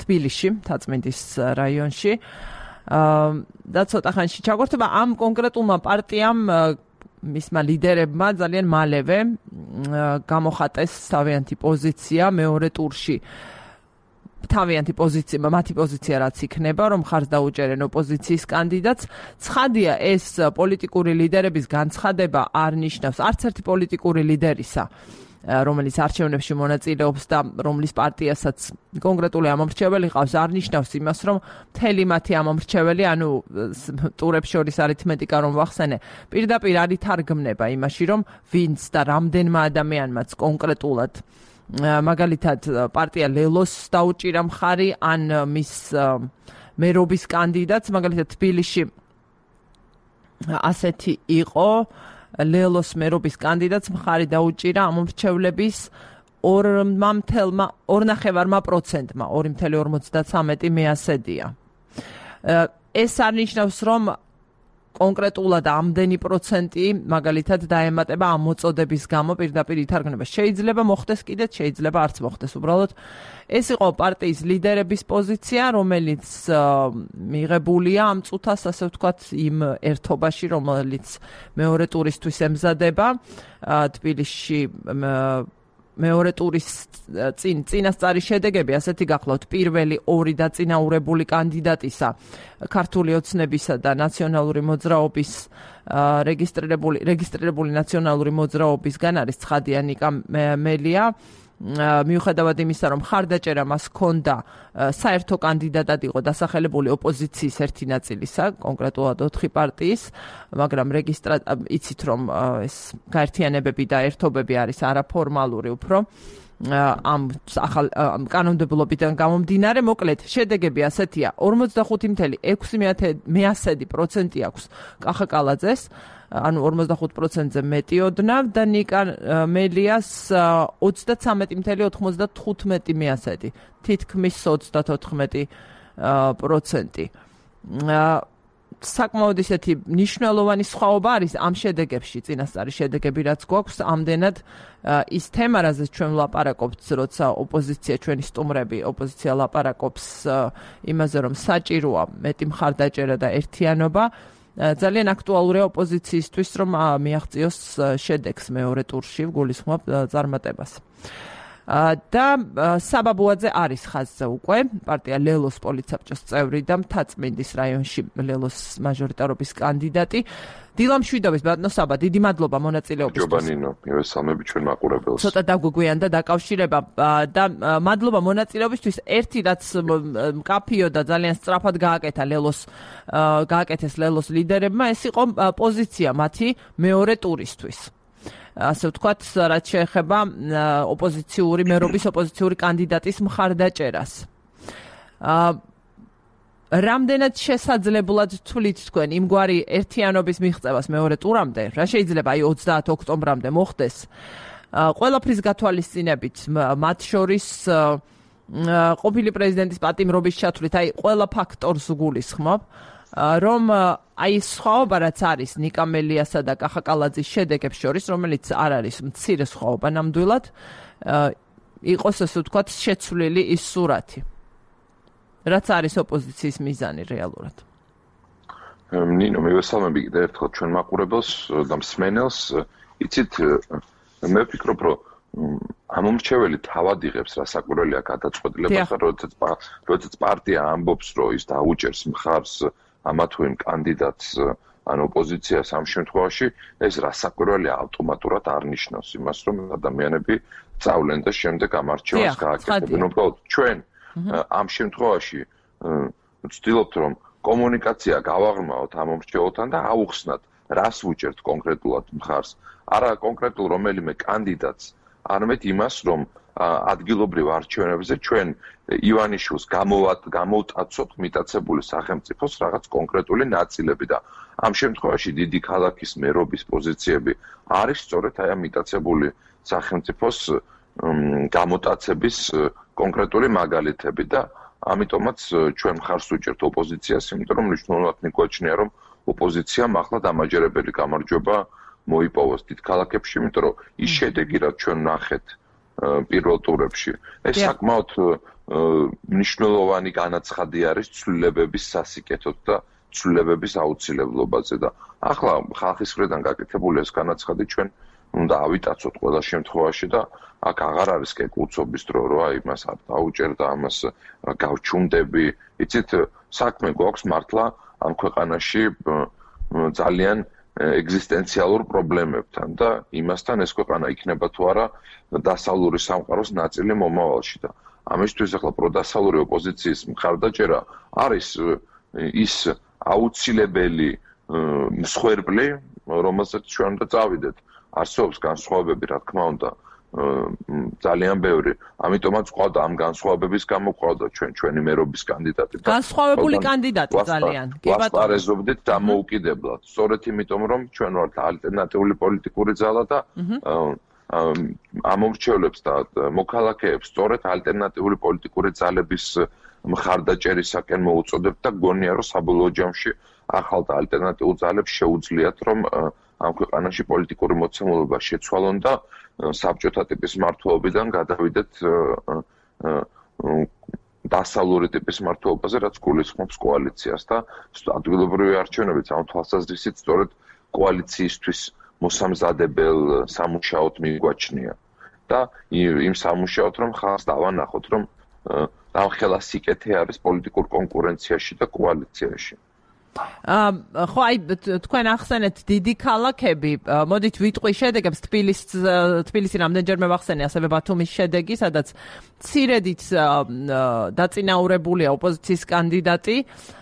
თბილისში, თაწმინდის რაიონში. და ცოტა ხანში ჩაგვერთება ამ კონკრეტულმა პარტიამ მისმა ლიდერებმა ძალიან მალევე გამოხატეს თავიანთი პოზიცია მეორე ტურში. თავიანთი პოზიცია, მათი პოზიცია რაც იქნება, რომ ხარს დაუჭერენ ოპოზიციის კანდიდატს. ცხადია, ეს პოლიტიკური ლიდერების განცხადება არ ნიშნავს არც ერთი პოლიტიკური ლიდერისა რომელიც არჩევნებში მონაწილეობს და რომლის პარტიასაც კონკრეტული ამომრჩეველი ყავს, არ ნიშნავს იმას, რომ მთელი მათი ამომრჩეველი, ანუ ტურებს შორის არითმეტიკა რომ ვახსენე, პირდაპირ არ ითარგმნება იმაში, რომ ვინც და რამდენმა ადამიანმაც კონკრეტულად მაგალითად პარტია ლელოს დაუჭირა მხარი ან მის მერობის კანდიდატს, მაგალითად თბილისში ასეთი იყო ლელოს მერობის კანდიდატს მხარი დაუჭირა ამომრჩევლების ორ პროცენტმა, ორი წუთი ორმოცდათრამეტი მეასედია. ეს არ ნიშნავს, რომ კონკრეტულად ამდენი პროცენტი მაგალითად დაემატება ამ მოწოდების გამო პირდაპირ ითარგმნება. შეიძლება მოხდეს კიდეც, შეიძლება არც მოხდეს. უბრალოდ ეს იყო პარტიის ლიდერების პოზიცია, რომელიც მიღებულია ამ წუთას, ასე ვთქვათ, იმ ერთობაში, რომელიც მეორე ტურისთვის ემზადება თბილისში. მეორე ტურის წინ წინასწარი შედეგები ასეთი გახლავთ. პირველი ორი დაწინაურებული კანდიდატისა, ქართული ოცნებისა და ნაციონალური მოძრაობის რეგისტრირებული რეგისტრირებული ნაციონალური მოძრაობისგან არის ცხადია ნიკა მელია. მიუხედავად იმისა, რომ მხარდაჭერა მას ჰქონდა, საერთო კანდიდატად იყო დასახელებული ოპოზიციის ერთი ნაწილისა, კონკრეტულად ოთხი პარტიის, მაგრამ რეგისტრა იცით, რომ ეს გაერთიანებები და ერთობები არის არაფორმალური უფრო ამ ახალ კანონმდებლობიდან გამომდინარე. მოკლედ, შედეგები ასეთია: ორმოცდახუთი წუთი ექვსი პროცენტი აქვს კახა კალაძეს, ანუ ორმოცდახუთ პროცენტზე მეტი ოდნავ და ნიკა მელიას ოცდათრამეტი წუთი ოთხმოცდათხუთმეტი მეასედი, თითქმის ოცდათოთხმეტი პროცენტი. საკმაოდ ისეთი მნიშვნელოვანი სხვაობა არის ამ შედეგებში, წინასწარი შედეგები რაც გვაქვს, ამდენად ის თემა, რაზეც ჩვენ ვლაპარაკობთ, როცა ოპოზიცია, ჩვენი სტუმრები, ოპოზიცია ლაპარაკობს იმაზე, რომ საჭიროა მეტი მხარდაჭერა და ერთიანობა, ძალიან აქტუალურია ოპოზიციისთვის, რომ მიაღწიოს შედეგს მეორე ტურში, გულისხმობ წარმატებას. და საბაბუაძე არის ხაზზე უკვე, პარტია ლელოს პოლიცსაბჭოს წევრი და მთაწმინდის რაიონში ლელოს მაჟორიტარობის კანდიდატი. დილამ შვიდობის ბატონო საბა, დიდი მადლობა მონაწილეობისთვის. ჯობანინო, მივესალმები ჩვენ მაყურებელს. ცოტა დაგვიგვიანდა დაკავშირება და მადლობა მონაწილეობისთვის. ერთი რაც მკაფიო და ძალიან სწრაფად გააკეთა ლელოს გააკეთეს ლელოს ლიდერებმა, ეს იყო პოზიცია მათი მეორე ტურისთვის. ასე ვთქვათ, რაც შეეხება ოპოზიციური მერობის ოპოზიციური კანდიდატის მხარდაჭერას. რამდენად შესაძლებლად თვლით თქვენ იმგვარი ერთიანობის მიღწევას მეორე ტურამდე, რა შეიძლება აი ოცდაათი ოქტომბრამდე მოხდეს? ყველაფრის გათვალისწინებით, მათ შორის ყოფილი პრეზიდენტის პატიმრობის ჩათვლით, აი ყველა ფაქტორს გულისხმობ, რომ აი სხვაობა რაც არის ნიკა მელიასა და კახა კალაძის შედეგებს შორის, რომელიც არ არის მცირე სხვაობა ნამდვილად, იყოს ასე ვთქვათ შეცვლილი ის სურათი, რაც არის ოპოზიციის მიზანი რეალურად. ნინო, მივესალმები კიდევ ერთხელ ჩვენ მაყურებელს და მსმენელს. იცით, მე ვფიქრობ, რომ ამომრჩეველი თავად იღებს რასაკვირველია გადაწყვეტილებას, როდესაც პარტია ამბობს, რომ ის დაუჭერს მხარს ამა თუ იმ კანდიდატს ან ოპოზიციას ამ შემთხვევაში, ეს რასაკვირველია ავტომატურად არ ნიშნავს იმას, რომ ადამიანები წავლენ და შემდეგ ამ არჩევანს გააკეთებენ. უბრალოდ ჩვენ ამ შემთხვევაში ვცდილობთ, რომ კომუნიკაცია გავაღრმავოთ ამომრჩეველთან და აუხსნათ, რას უჭერთ კონკრეტულად მხარს. არა კონკრეტულ რომელიმე კანდიდატს, არამედ იმას, რომ ადგილობრივ არჩევნებზე ჩვენ ივანიშვილს გამოვტაცოთ მიტაცებული სახელმწიფოს რაღაც კონკრეტული ნაწილები და ამ შემთხვევაში დიდი ქალაქის მერობის პოზიციები არის სწორედ აი ამ მიტაცებული სახელმწიფოს გამოტაცების კონკრეტული მაგალითები და ამიტომაც ჩვენ მხარს ვუჭერთ ოპოზიციას, იმიტომ რომ მნიშვნელოვნად მიგვაჩნია, რომ ოპოზიციამ ახლა დამაჯერებელი გამარჯვება მოიპოვოს დიდ ქალაქებში, იმიტომ რომ ის შედეგი, რაც ჩვენ ვნახეთ პირველ ტურებში, ეს საკმაოდ მნიშვნელოვანი განაცხადი არის ცვლილებების სასიკეთოდ და ცვლილებების აუცილებლობაზე და ახლა ხალხის მხრიდან გაკეთებული ეს განაცხადი ჩვენ უნდა ავიტაცოთ ყველა შემთხვევაში და აქ აღარ არის კეკლუცობის დრო, რომ აი მას არ დაუჭერ და ამას გავჩუნდები. იცით, საქმე გვაქვს მართლა ამ ქვეყანაში ძალიან ეგზისტენციალურ პრობლემებთან და იმასთან ეს ქვეყანა იქნება თუ არა დასავლური სამყაროს ნაწილი მომავალში და ამისთვის ახლა პროდასავლური ოპოზიციის მხარდაჭერა არის ის აუცილებელი მსხვერპლი, რომელსაც ჩვენ უნდა წავიდეთ. არსებობს განსხვავებები, რა თქმა უნდა, ძალიან ბევრი. ამიტომაც ყავდა ამ განსხვავებების გამო ყავდა ჩვენ ჩვენი მერობის კანდიდატი. განსხვავებული კანდიდატი ძალიან. კი ბატონო. ვასპარეზობდით დამოუკიდებლად. სწორედ იმიტომ, რომ ჩვენ ვართ ალტერნატიული პოლიტიკური ძალა და ამომრჩევლებს და მოქალაქეებს სწორედ ალტერნატიული პოლიტიკური ძალების მხარდაჭერისაკენ მოუწოდებთ და გონია, რომ საბოლოო ჯამში ახალ და ალტერნატიულ ძალებს შეუძლიათ, რომ ამ ქვეყანაში პოლიტიკური მოცემულობა შეცვალონ და საბჭოთა ტიპის მმართველობიდან გადავიდეთ დასავლური ტიპის მმართველობაზე, რაც გულისხმობს კოალიციას და ადგილობრივი არჩევნებიც ამ თვალსაზრისით სწორედ კოალიციისთვის მოსამზადებელ სამუშაოდ მიგვაჩნია და იმ სამუშაოდ რომ ხალხს დავანახოთ, რომ ამხელა სიკეთე არის პოლიტიკურ კონკურენციაში და კოალიციაში. ხო, აი თქვენ ახსენეთ დიდი ქალაქები, მოდით ვიტყვი შედეგებს. თბილისი რამდენჯერმე ვახსენე, ასევე ბათუმის შედეგი, სადაც მცირედით დაწინაურებულია ოპოზიციის კანდიდატი.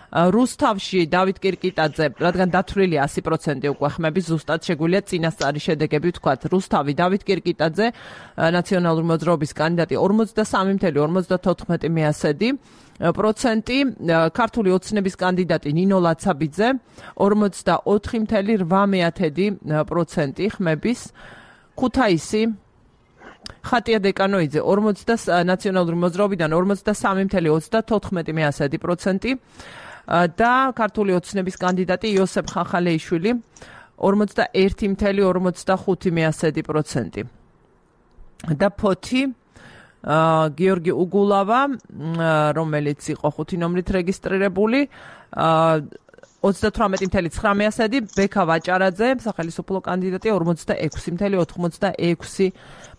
რუსთავში დავით კირკიტაძე, რადგან დათვლილია ასი პროცენტი უკვე ხმები, ზუსტად შეგვიძლია წინასწარი შედეგები ვთქვათ. რუსთავი დავით კირკიტაძე, ნაციონალური მოძრაობის კანდიდატი ორმოცდასამი ათეული ორმოცდათოთხმეტი მეასედი პროცენტი, ქართული ოცნების კანდიდატი ნინო ლაცაბიძე ორმოცდაოთხი ათეული რვამეათედი პროცენტი ხმების, ქუთაისი ხატია დეკანოიძე ნაციონალური მოძრაობიდან ორმოცდასამი ათეული ოცდათოთხმეტი მეასედი პროცენტი და ქართული ოცნების კანდიდატი იოსებ ხახალეიშვილი ორმოცდაერთი ათეული ორმოცდახუთი მეასედი პროცენტი და ფოთი გიორგი უგულავა, რომელიც იყო ხუთი ნომრით რეგისტრირებული, ოცდათვრამეტი ათეული ცხრა მეასედი, ბექა ვაჭარაძე, სახელმწიფო კანდიდატი ორმოცდაექვსი ათეული ოცდაექვსი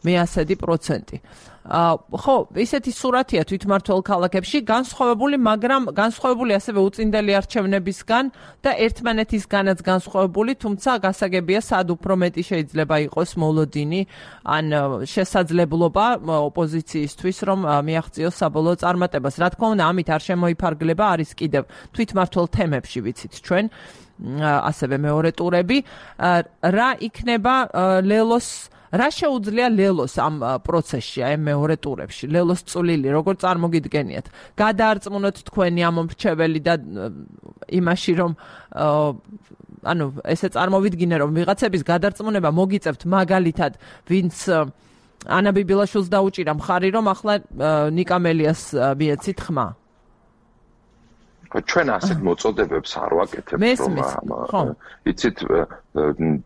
მეასედი პროცენტი. ხო, ისეთი სურათია თვითმმართველ ქალაქებში, განსხვავებული, მაგრამ განსხვავებული ასევე უწინდელი არჩევნებისგან და ერთმანეთისგანაც განსხვავებული, თუმცა გასაგებია, სად უფრო მეტი შეიძლება იყოს მოლოდინი ან შესაძლებლობა ოპოზიციისთვის, რომ მიაღწიოს საბოლოო წარმატებას. რა თქმა უნდა, ამით არ შემოიფარგლება, არის კიდევ თვითმმართველ თემებში, ვიცით ჩვენ, ასევე მეორე ტურები. რა იქნება ლელოს რა შეუძლია ლელოს ამ პროცესში, აი მეორე ტურებში, ლელოს წვლილი, როგორ წარმოგიდგენიათ? გადაარწმუნოთ თქვენი ამომრჩეველი და იმაში, რომ ანუ ესე წარმოვიდგინე, რომ ვიღაცების გადარწმუნება მოგიწევთ მაგალითად, ვინც ანა ბიბილაშვილს დაუჭირა მხარი, რომ ახლა ნიკა მელიას მიეცით ხმა. ჩვენ ასეთ მოწოდებებს არ ვაკეთებთ, რომ იცით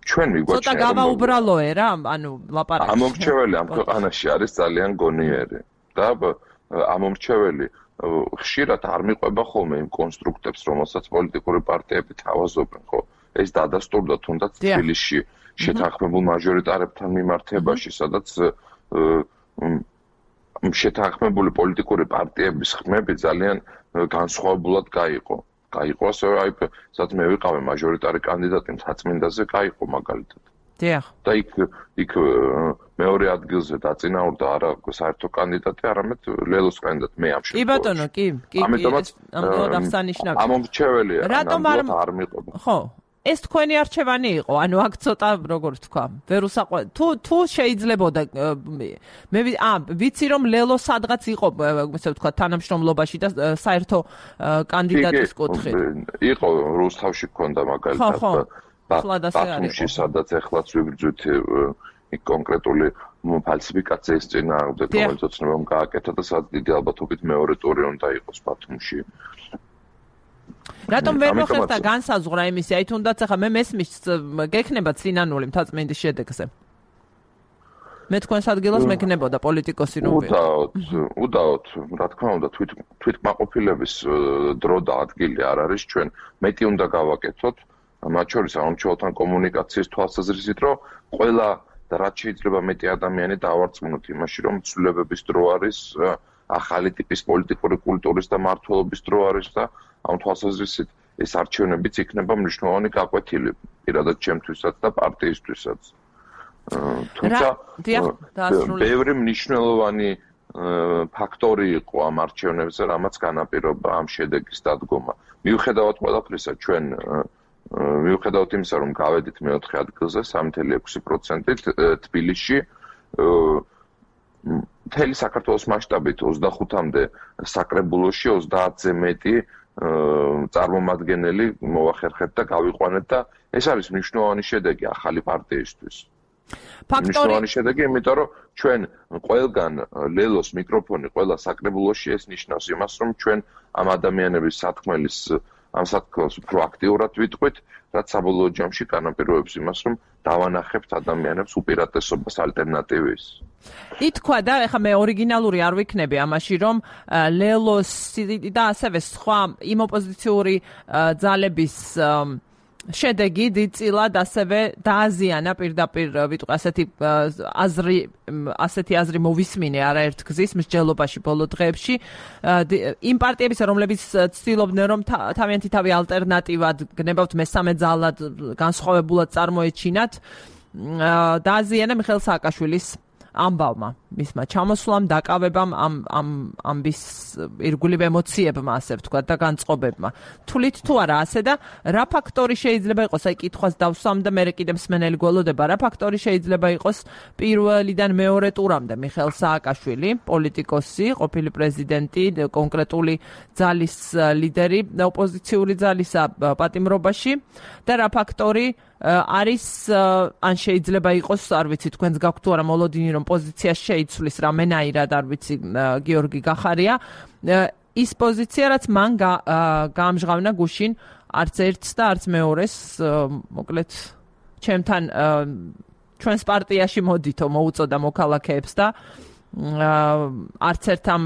ჩვენ მიგვაჩნია ცოტა გავაუბრალოე რა, ანუ ლაპარაკი. ამომრჩეველი ამ ქვეყანაში არის ძალიან გონიერი და ამომრჩეველი ხშირად არ მიყვება ხოლმე იმ კონსტრუქტებს, რომელსაც პოლიტიკური პარტიები თავაზობენ, ხო? ეს დადასტურდა თუნდაც თბილისში შეთანხმებულ მაჟორიტარებთან მიმართებაში, სადაც შეთანხმებული პოლიტიკური პარტიების ხმები ძალიან განსხვავებულად გაიყო. გაიყო ასევე აი სადაც მე ვიყავი მაჟორიტარი კანდიდატი მთაწმინდაზე გაიყო მაგალითად. დიახ. და იქ იქ მეორე ადგილზე დაწინაურდა არა საერთო კანდიდატი, არამედ ლელოს კანდიდატი მე ამ შემთხვევაში. კი ბატონო, კი, კი. ამიტომაც ამიტომ აღსანიშნავია. ამომრჩეველი რატომ არ მიყვება? ხო. ეს თქვენი არჩევანი იყო, ანუ აქ ცოტა როგორ ვთქვა, ვერ უსაყვე თუ თუ შეიძლებოდა მე ა ვიცი რომ ლელო სადღაც იყო, ესე ვთქვა, თანამშრომლობაში და საერთო კანდიდატის კუთხით. იყო რუსთავში ქონდა მაგალითად ბათუმში, სადაც ეხლაც ვიბრძვით იქ კონკრეტული ფალსიფიკაციის წინააღმდეგ, რომელიც ოცნებამ გააკეთა და სადაც დიდი ალბათობით მეორე ტური უნდა იყოს ბათუმში. რატომ ვერ მოხერხდა და განსაზღვრა იმისი, აი თუნდაც ახლა მე მესმის გექნება წინანული მთაწმინდის შედეგზე. მე თქვენს ადგილას მეკნებოდა პოლიტიკოსი რომ უდაოდ, უდაოდ, რა თქმა უნდა, თვით თვითკმაყოფილების დრო და ადგილი არ არის ჩვენ, მეტი უნდა გავაკეთოთ, მათ შორის ამომრჩეველთან კომუნიკაციის თვალსაზრისით, რომ ყველა და რაც შეიძლება მეტი ადამიანი დავარწმუნოთ იმაში, რომ ცვლილებების დრო არის, ახალი ტიპის პოლიტიკური კულტურის და მმართველობის დრო არის და ამ თვალსაზრისით ეს არჩევნებიც იქნება მნიშვნელოვანი გაკვეთილი პირადად ჩემთვისაც და პარტიისთვისაც. თუმცა ბევრი მნიშვნელოვანი ფაქტორი იყო ამ არჩევნებზე, რამაც განაპირობა ამ შედეგის დადგომა. მიუხედავად ყველაფრისა, ჩვენ მიუხედავად იმისა, რომ გავედით მეოთხე ადგილზე სამი თვით ექვსი პროცენტით თბილისში, მთელი საქართველოს მასშტაბით ოცდახუთამდე საკრებულოში ოცდაათზე მეტი წარმომადგენელი მოვახერხეთ და გავიყვანეთ და ეს არის მნიშვნელოვანი შედეგი ახალი პარტიისთვის. მნიშვნელოვანი შედეგი, იმიტომ რომ ჩვენ ყველგან ლელოს მიკროფონი ყველა საკრებულოში ეს ნიშნავს იმას, რომ ჩვენ ამ ადამიანების სათქმელის ამ სათქმელს უფრო აქტიურად ვიტყვით, რაც საბოლოო ჯამში განაპირობებს იმას, რომ დავანახებთ ადამიანებს უპირატესობას ალტერნატივის. ითქვა და ეხლა მე ორიგინალური არ ვიქნები ამაში, რომ ლელოს და ასევე სხვა იმ ოპოზიციური ძალების შედეგი დიდწილად ასევე დააზიანა პირდაპირ ვიტყვი ასეთი აზრი ასეთი აზრი მოვისმინე არაერთ გზის მსჯელობაში ბოლო დღეებში იმ პარტიებისა, რომლებიც ცდილობდნენ რომ თავიანთი თავი ალტერნატივად გნებავთ მესამე ძალად განსხვავებულად წარმოეჩინათ, დააზიანა მიხეილ სააკაშვილის ამბავმა, მისმა ჩამოსვლამ, დაკავებამ, ამ ამ ამბის ირგვლივ ემოციებმა, ასე ვთქვათ, და განწყობებმა. თვლით თუ არა ასე და რა ფაქტორი შეიძლება იყოს, აი კითხვას დავსვამ და მე კიდევ მსმენელი გველოდება, რა ფაქტორი შეიძლება იყოს პირველიდან მეორე ტურამდე მიხეილ სააკაშვილი, პოლიტიკოსი, ყოფილი პრეზიდენტი, კონკრეტული ძალის ლიდერი, ოპოზიციური ძალისა პატიმრობაში და რა ფაქტორი არის ან შეიძლება იყოს, არ ვიცი, თქვენს გაქვთ თუ არა მოლოდინი, რომ პოზიცია შეიცვლის რამენაირად, არ ვიცი, გიორგი გახარია, ის პოზიცია, რაც მან გაამჟღავნა გუშინ არც ერთს და არც მეორეს, მოკლედ ჩემთან ჩვენს პარტიაში მოდითო მოუწოდა მოქალაქეებს და არც ერთ ამ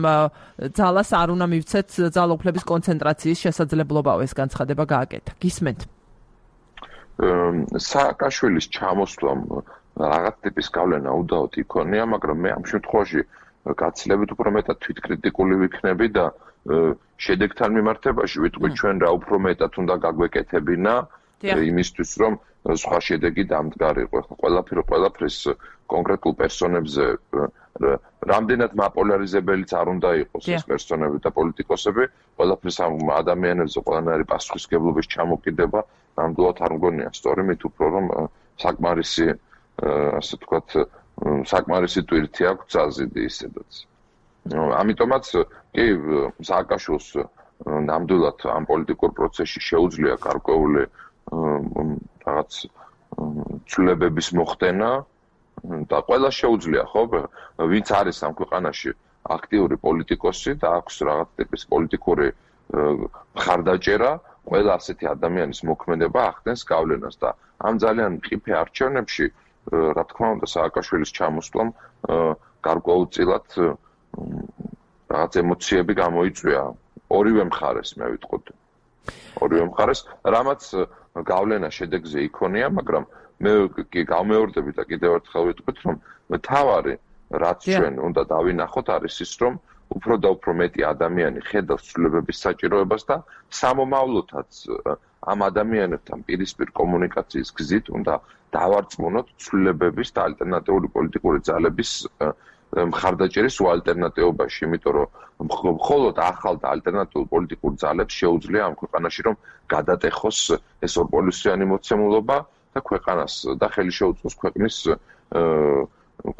ძალას არ უნდა მივცეთ ძალაუფლების კონცენტრაციის შესაძლებლობაო ეს განცხადება გააკეთა. გისმენთ? სააკაშვილის ჩამოსვლამ რაღაც ტიპის გავლენა უდაოდ იქონია, მაგრამ მე ამ შემთხვევაში გაცილებით უფრო მეტად თვითკრიტიკული ვიქნები და შედეგთან მიმართებაში ვიტყვი ჩვენ რა უფრო მეტად უნდა გაგვეკეთებინა იმისთვის, რომ სხვა შედეგი დამდგარიყო. ყველაფერი ყველაფრის კონკრეტულ პერსონებზე რამდენად მაპოლარიზებელიც არ უნდა იყოს ეს პერსონები და პოლიტიკოსები, ყველაფრის ამ ადამიანებზე ყველანაირი პასუხისმგებლობის ჩამოკიდება ნამდვილად არ მგონია სწორი, მით უფრო რომ საკმარისი ასე ვთქვათ, საკმარისი ტვირთი აქვს ძალზედი ისედაც. ამიტომაც კი სააკაშვილს ნამდვილად ამ პოლიტიკურ პროცესში შეუძლია გარკვეული რაღაც ცვლილებების მოხდენა და ყველა შეუძლია, ხო? ვინც არის ამ ქვეყანაში აქტიური პოლიტიკოსი და აქვს რაღაც ტიპის პოლიტიკური მხარდაჭერა, ყველა ასეთი ადამიანის მოქმედება ახდენს გავლენას და ამ ძალიან მყიფე არჩევნებში, რა თქმა უნდა, სააკაშვილის ჩამოსვლამ გარკვეულწილად რაღაც ემოციები გამოიწვია ორივე მხარეს, მე ვიტყოდი. ორივე მხარეს, რამაც გავლენა შედეგზე იქონია, მაგრამ მე კი გამეორდები და კიდევ ერთხელ ვიტყვით, რომ მთავარი რაც ჩვენ უნდა დავინახოთ არის ის, რომ უფრო და უფრო მეტი ადამიანი ხედავს ცვლილებების საჭიროებას და სამომავლოთაც ამ ადამიანებთან პირისპირ კომუნიკაციის გზით უნდა დავარწმუნოთ ცვლილებების და ალტერნატიული პოლიტიკური ძალების მხარდაჭერის უალტერნატიობაში, იმიტომ რომ მხოლოდ ახალ და ალტერნატიულ პოლიტიკურ ძალებს შეუძლია ამ ქვეყანაში რომ გადატეხოს ეს ორპოლისიანი მოცემულობა და ქვეყანას და ხელი შეუწყოს ქვეყნის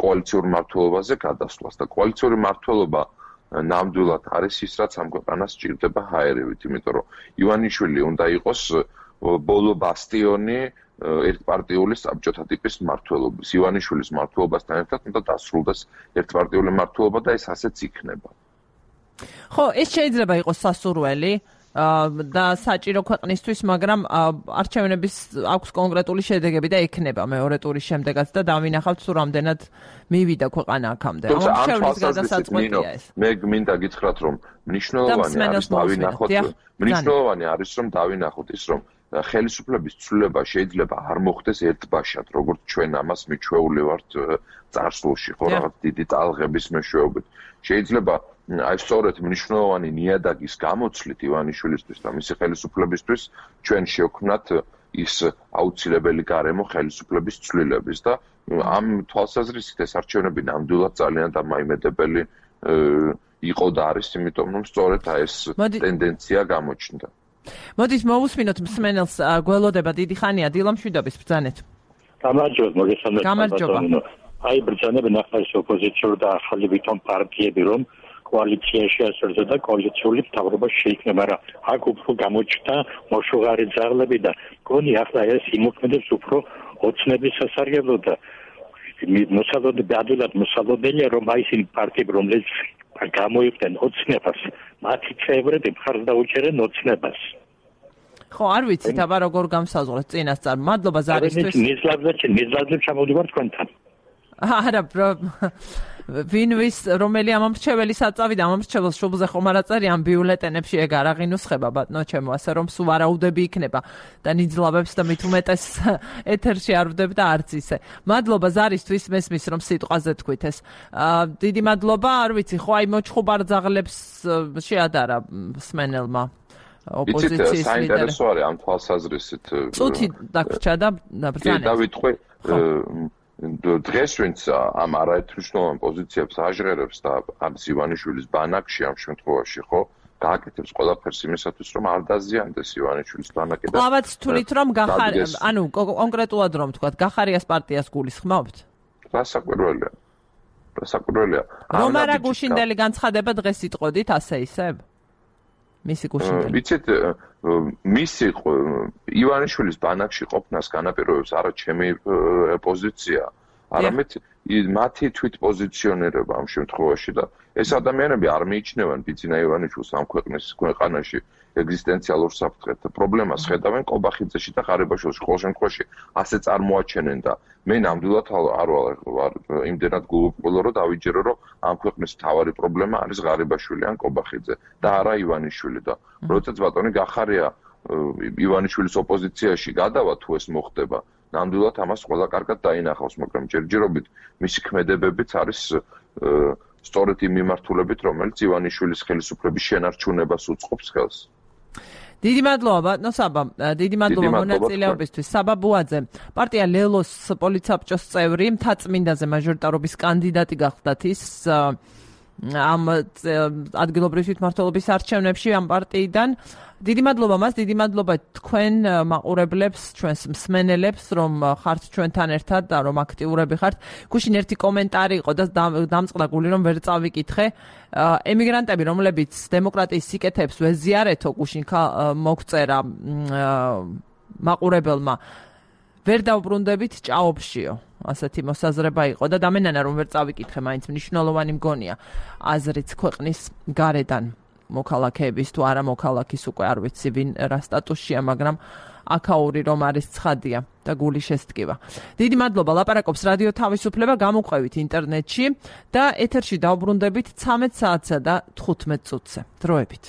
კოალიციურ მმართველობაზე გადასვლას და კოალიციური მმართველობა ნამდვილად არის ის, რაც ამ ქვეყანას სჭირდება ჰაერივით, იმიტომ რომ ივანიშვილი უნდა იყოს ბოლო ბასტიონი ერთპარტიული საბჭოთა ტიპის მმართველობის. ივანიშვილის მმართველობასთან ერთად უნდა დასრულდეს ერთპარტიული მმართველობა და ეს ასეც იქნება. ხო, ეს შეიძლება იყოს სასურველი და საჭირო ქვეყნისთვის, მაგრამ არჩევნების აქვს კონკრეტული შედეგები და ექნება მეორე ტურის შემდეგაც და დავინახავთ თუ რამდენად მივიდა ქვეყანა აქამდე. ამ არჩევნების გადასაწყვეტია ეს. მე გმინდა გითხრათ, რომ მნიშვნელოვანი არის დავინახოთ, მნიშვნელოვანი არის რომ დავინახოთ ის, რომ ხელისუფლების ცვლილება შეიძლება არ მოხდეს ერთბაშად, როგორც ჩვენ ამას მიჩვეული ვართ წარსულში, ხო, რაღაც დიდი ტალღების მეშვეობით. შეიძლება აი სწორედ მნიშვნელოვანი ნიადაგის გამოცვლით ივანიშვილისთვის და მისი ხელისუფლებისთვის ჩვენ შევქმნათ ის აუცილებელი გარემო ხელისუფლების ცვლილების და ამ თვალსაზრისით ეს არჩევნები ნამდვილად ძალიან დამაიმედებელი იყო და არის, იმიტომ რომ სწორედ ეს ტენდენცია გამოჩნდა. მოდით მოვუსმინოთ მსმენელს გველოდება დიდი ხანია დილამშვიდობის ბრძანეთ. გამარჯობა, მოგესალმებით. გამარჯობა. აი ბრძანები ნახა ეს ოპოზიციური და ახალი ვითომ პარტიები რომ კოალიციაში ასრულდა და კოალიციური მთავრობა შეიქმნა, მაგრამ აქ უფრო გამოჩნდა მოშუღარი ძაღლები და გონი ახლა ეს იმოქმედებს უფრო ოცნების სასარგებლო და მოსალოდნელი ადვილად მოსალოდნელია რომ აი ეს პარტიები რომლებიც გამოიყვნენ ოცნებას, მათი წევრები მხარს დაუჭერენ ოცნებას. ხო, არ ვიცით, აბა როგორ გამსაზღვრეთ წინასწარ. მადლობა ზარისთვის. ნიზლაბზე, ნიზლაბზე ჩამოვდივარ თქვენთან. არა, ვინვის რომელი ამომრჩეველი საწავიდა ამომრჩეველს შუბლზე ხომ არ აწერიან ბიულეტენებში ეგ არ აღინუსხება ბატონო ჩემო, ასე რომ სულ ვარაუდები იქნება და ნიძლაბებს და მით უმეტეს ეთერში არ ვდებ და არც ისე. მადლობა ზარისთვის, მესმის რომ სიტყვაზე თქვით ეს. დიდი მადლობა, არ ვიცი, ხო აი მოჩხუბარ ძაღლებს შეადარა სმენელმა ოპოზიციის ლიდერი. საინტერესო არის ამ თვალსაზრისით. წუთი დაგვრჩა და ბრძანეთ. და ვიტყვი დღეს ვინც ამ არაერთმნიშვნელოვან პოზიციებს აჟღერებს და არის ივანიშვილის ბანაკში ამ შემთხვევაში, ხო, გააკეთებს ყველაფერს იმისათვის, რომ არ დაზიანდეს ივანიშვილის ბანაკი და ყავაც თვლით რომ გახარი, ანუ კონკრეტულად რომ თქვა, გახარიას პარტიას გულისხმობთ? რასაკვირველია. რასაკვირველია. რომ არა გუშინდელი განცხადება დღეს იტყოდით ასე ისე? მისი გუშინდელი. ვიცით, მისი ივანიშვილის ბანაკში ყოფნას განაპირობებს არა ჩემი პოზიცია, არამედ მათი თვითპოზიციონირება ამ შემთხვევაში და ეს ადამიანები არ მიიჩნევენ ბიძინა ივანიშვილს ამ ქვეყნის ქვეყანაში ეგზისტენციალურ საფრთხედ. პრობლემას ხედავენ ყობახიძეში და ღარიბაშვილში. ყოველ შემთხვევაში ასე წარმოაჩენენ და მე ნამდვილად არ ვარ იმდენად გულუბრყვილო, რომ დავიჯერო, რომ ამ ქვეყნის მთავარი პრობლემა არის ღარიბაშვილი ან ყობახიძე და არა ივანიშვილი და როდესაც ბატონი გახარია ივანიშვილის ოპოზიციაში გადავა თუ ეს მოხდება, ნამდვილად ამას ყველა კარგად დაინახავს, მაგრამ ჯერჯერობით მისი ქმედებებიც არის სწორედ იმ მიმართულებით, რომელიც ივანიშვილის ხელისუფლების შენარჩუნებას უწყობს ხელს. დიდი მადლობა ბატონო საბა, დიდი მადლობა მონაწილეობისთვის. საბა ბუაძე, პარტია ლელოს პოლიცაბჭოს წევრი, მთაწმინდაზე მაჟორიტარობის კანდიდატი გახლდათ ის ამ ადგილობრივი თვითმმართველობის არჩევნებში ამ პარტიიდან. დიდი მადლობა მას, დიდი მადლობა თქვენ მაყურებლებს, ჩვენს მსმენელებს, რომ ხართ ჩვენთან ერთად და რომ აქტიურები ხართ. გუშინ ერთი კომენტარი იყო და დამწყდა გული რომ ვერ წავიკითხე. ემიგრანტები, რომლებიც დემოკრატიის სიკეთეებს ვეზიარეთო, გუშინ მოგწერა მაყურებელმა, ვერ დავბრუნდებით ჭაობშიო. ასეთი მოსაზრება იყო და დამენანა რომ ვერ წავიკითხე, მაინც მნიშვნელოვანი მგონია აზრიც ქვეყნის გარედან. მოქალაქეების თუ არა მოქალაქის უკვე არ ვიცი ვინ რა სტატუსშია, მაგრამ აქაური რომ არის ცხადია და გული შესტკივა. დიდი მადლობა, ლაპარაკობს რადიო თავისუფლება, გამოყვებით ინტერნეტში და ეთერში დავბრუნდებით ცამეტ საათსა და თხუთმეტ წუთზე. დროებით.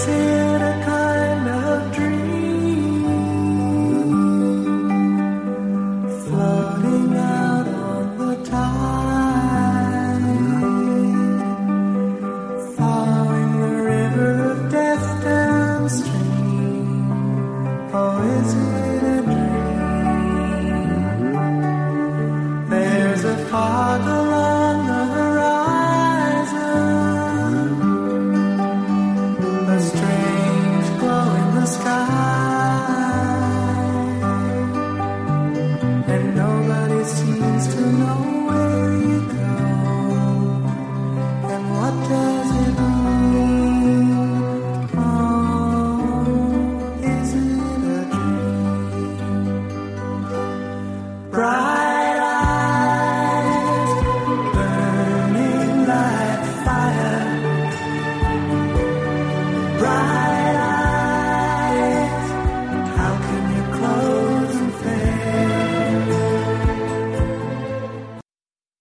cerca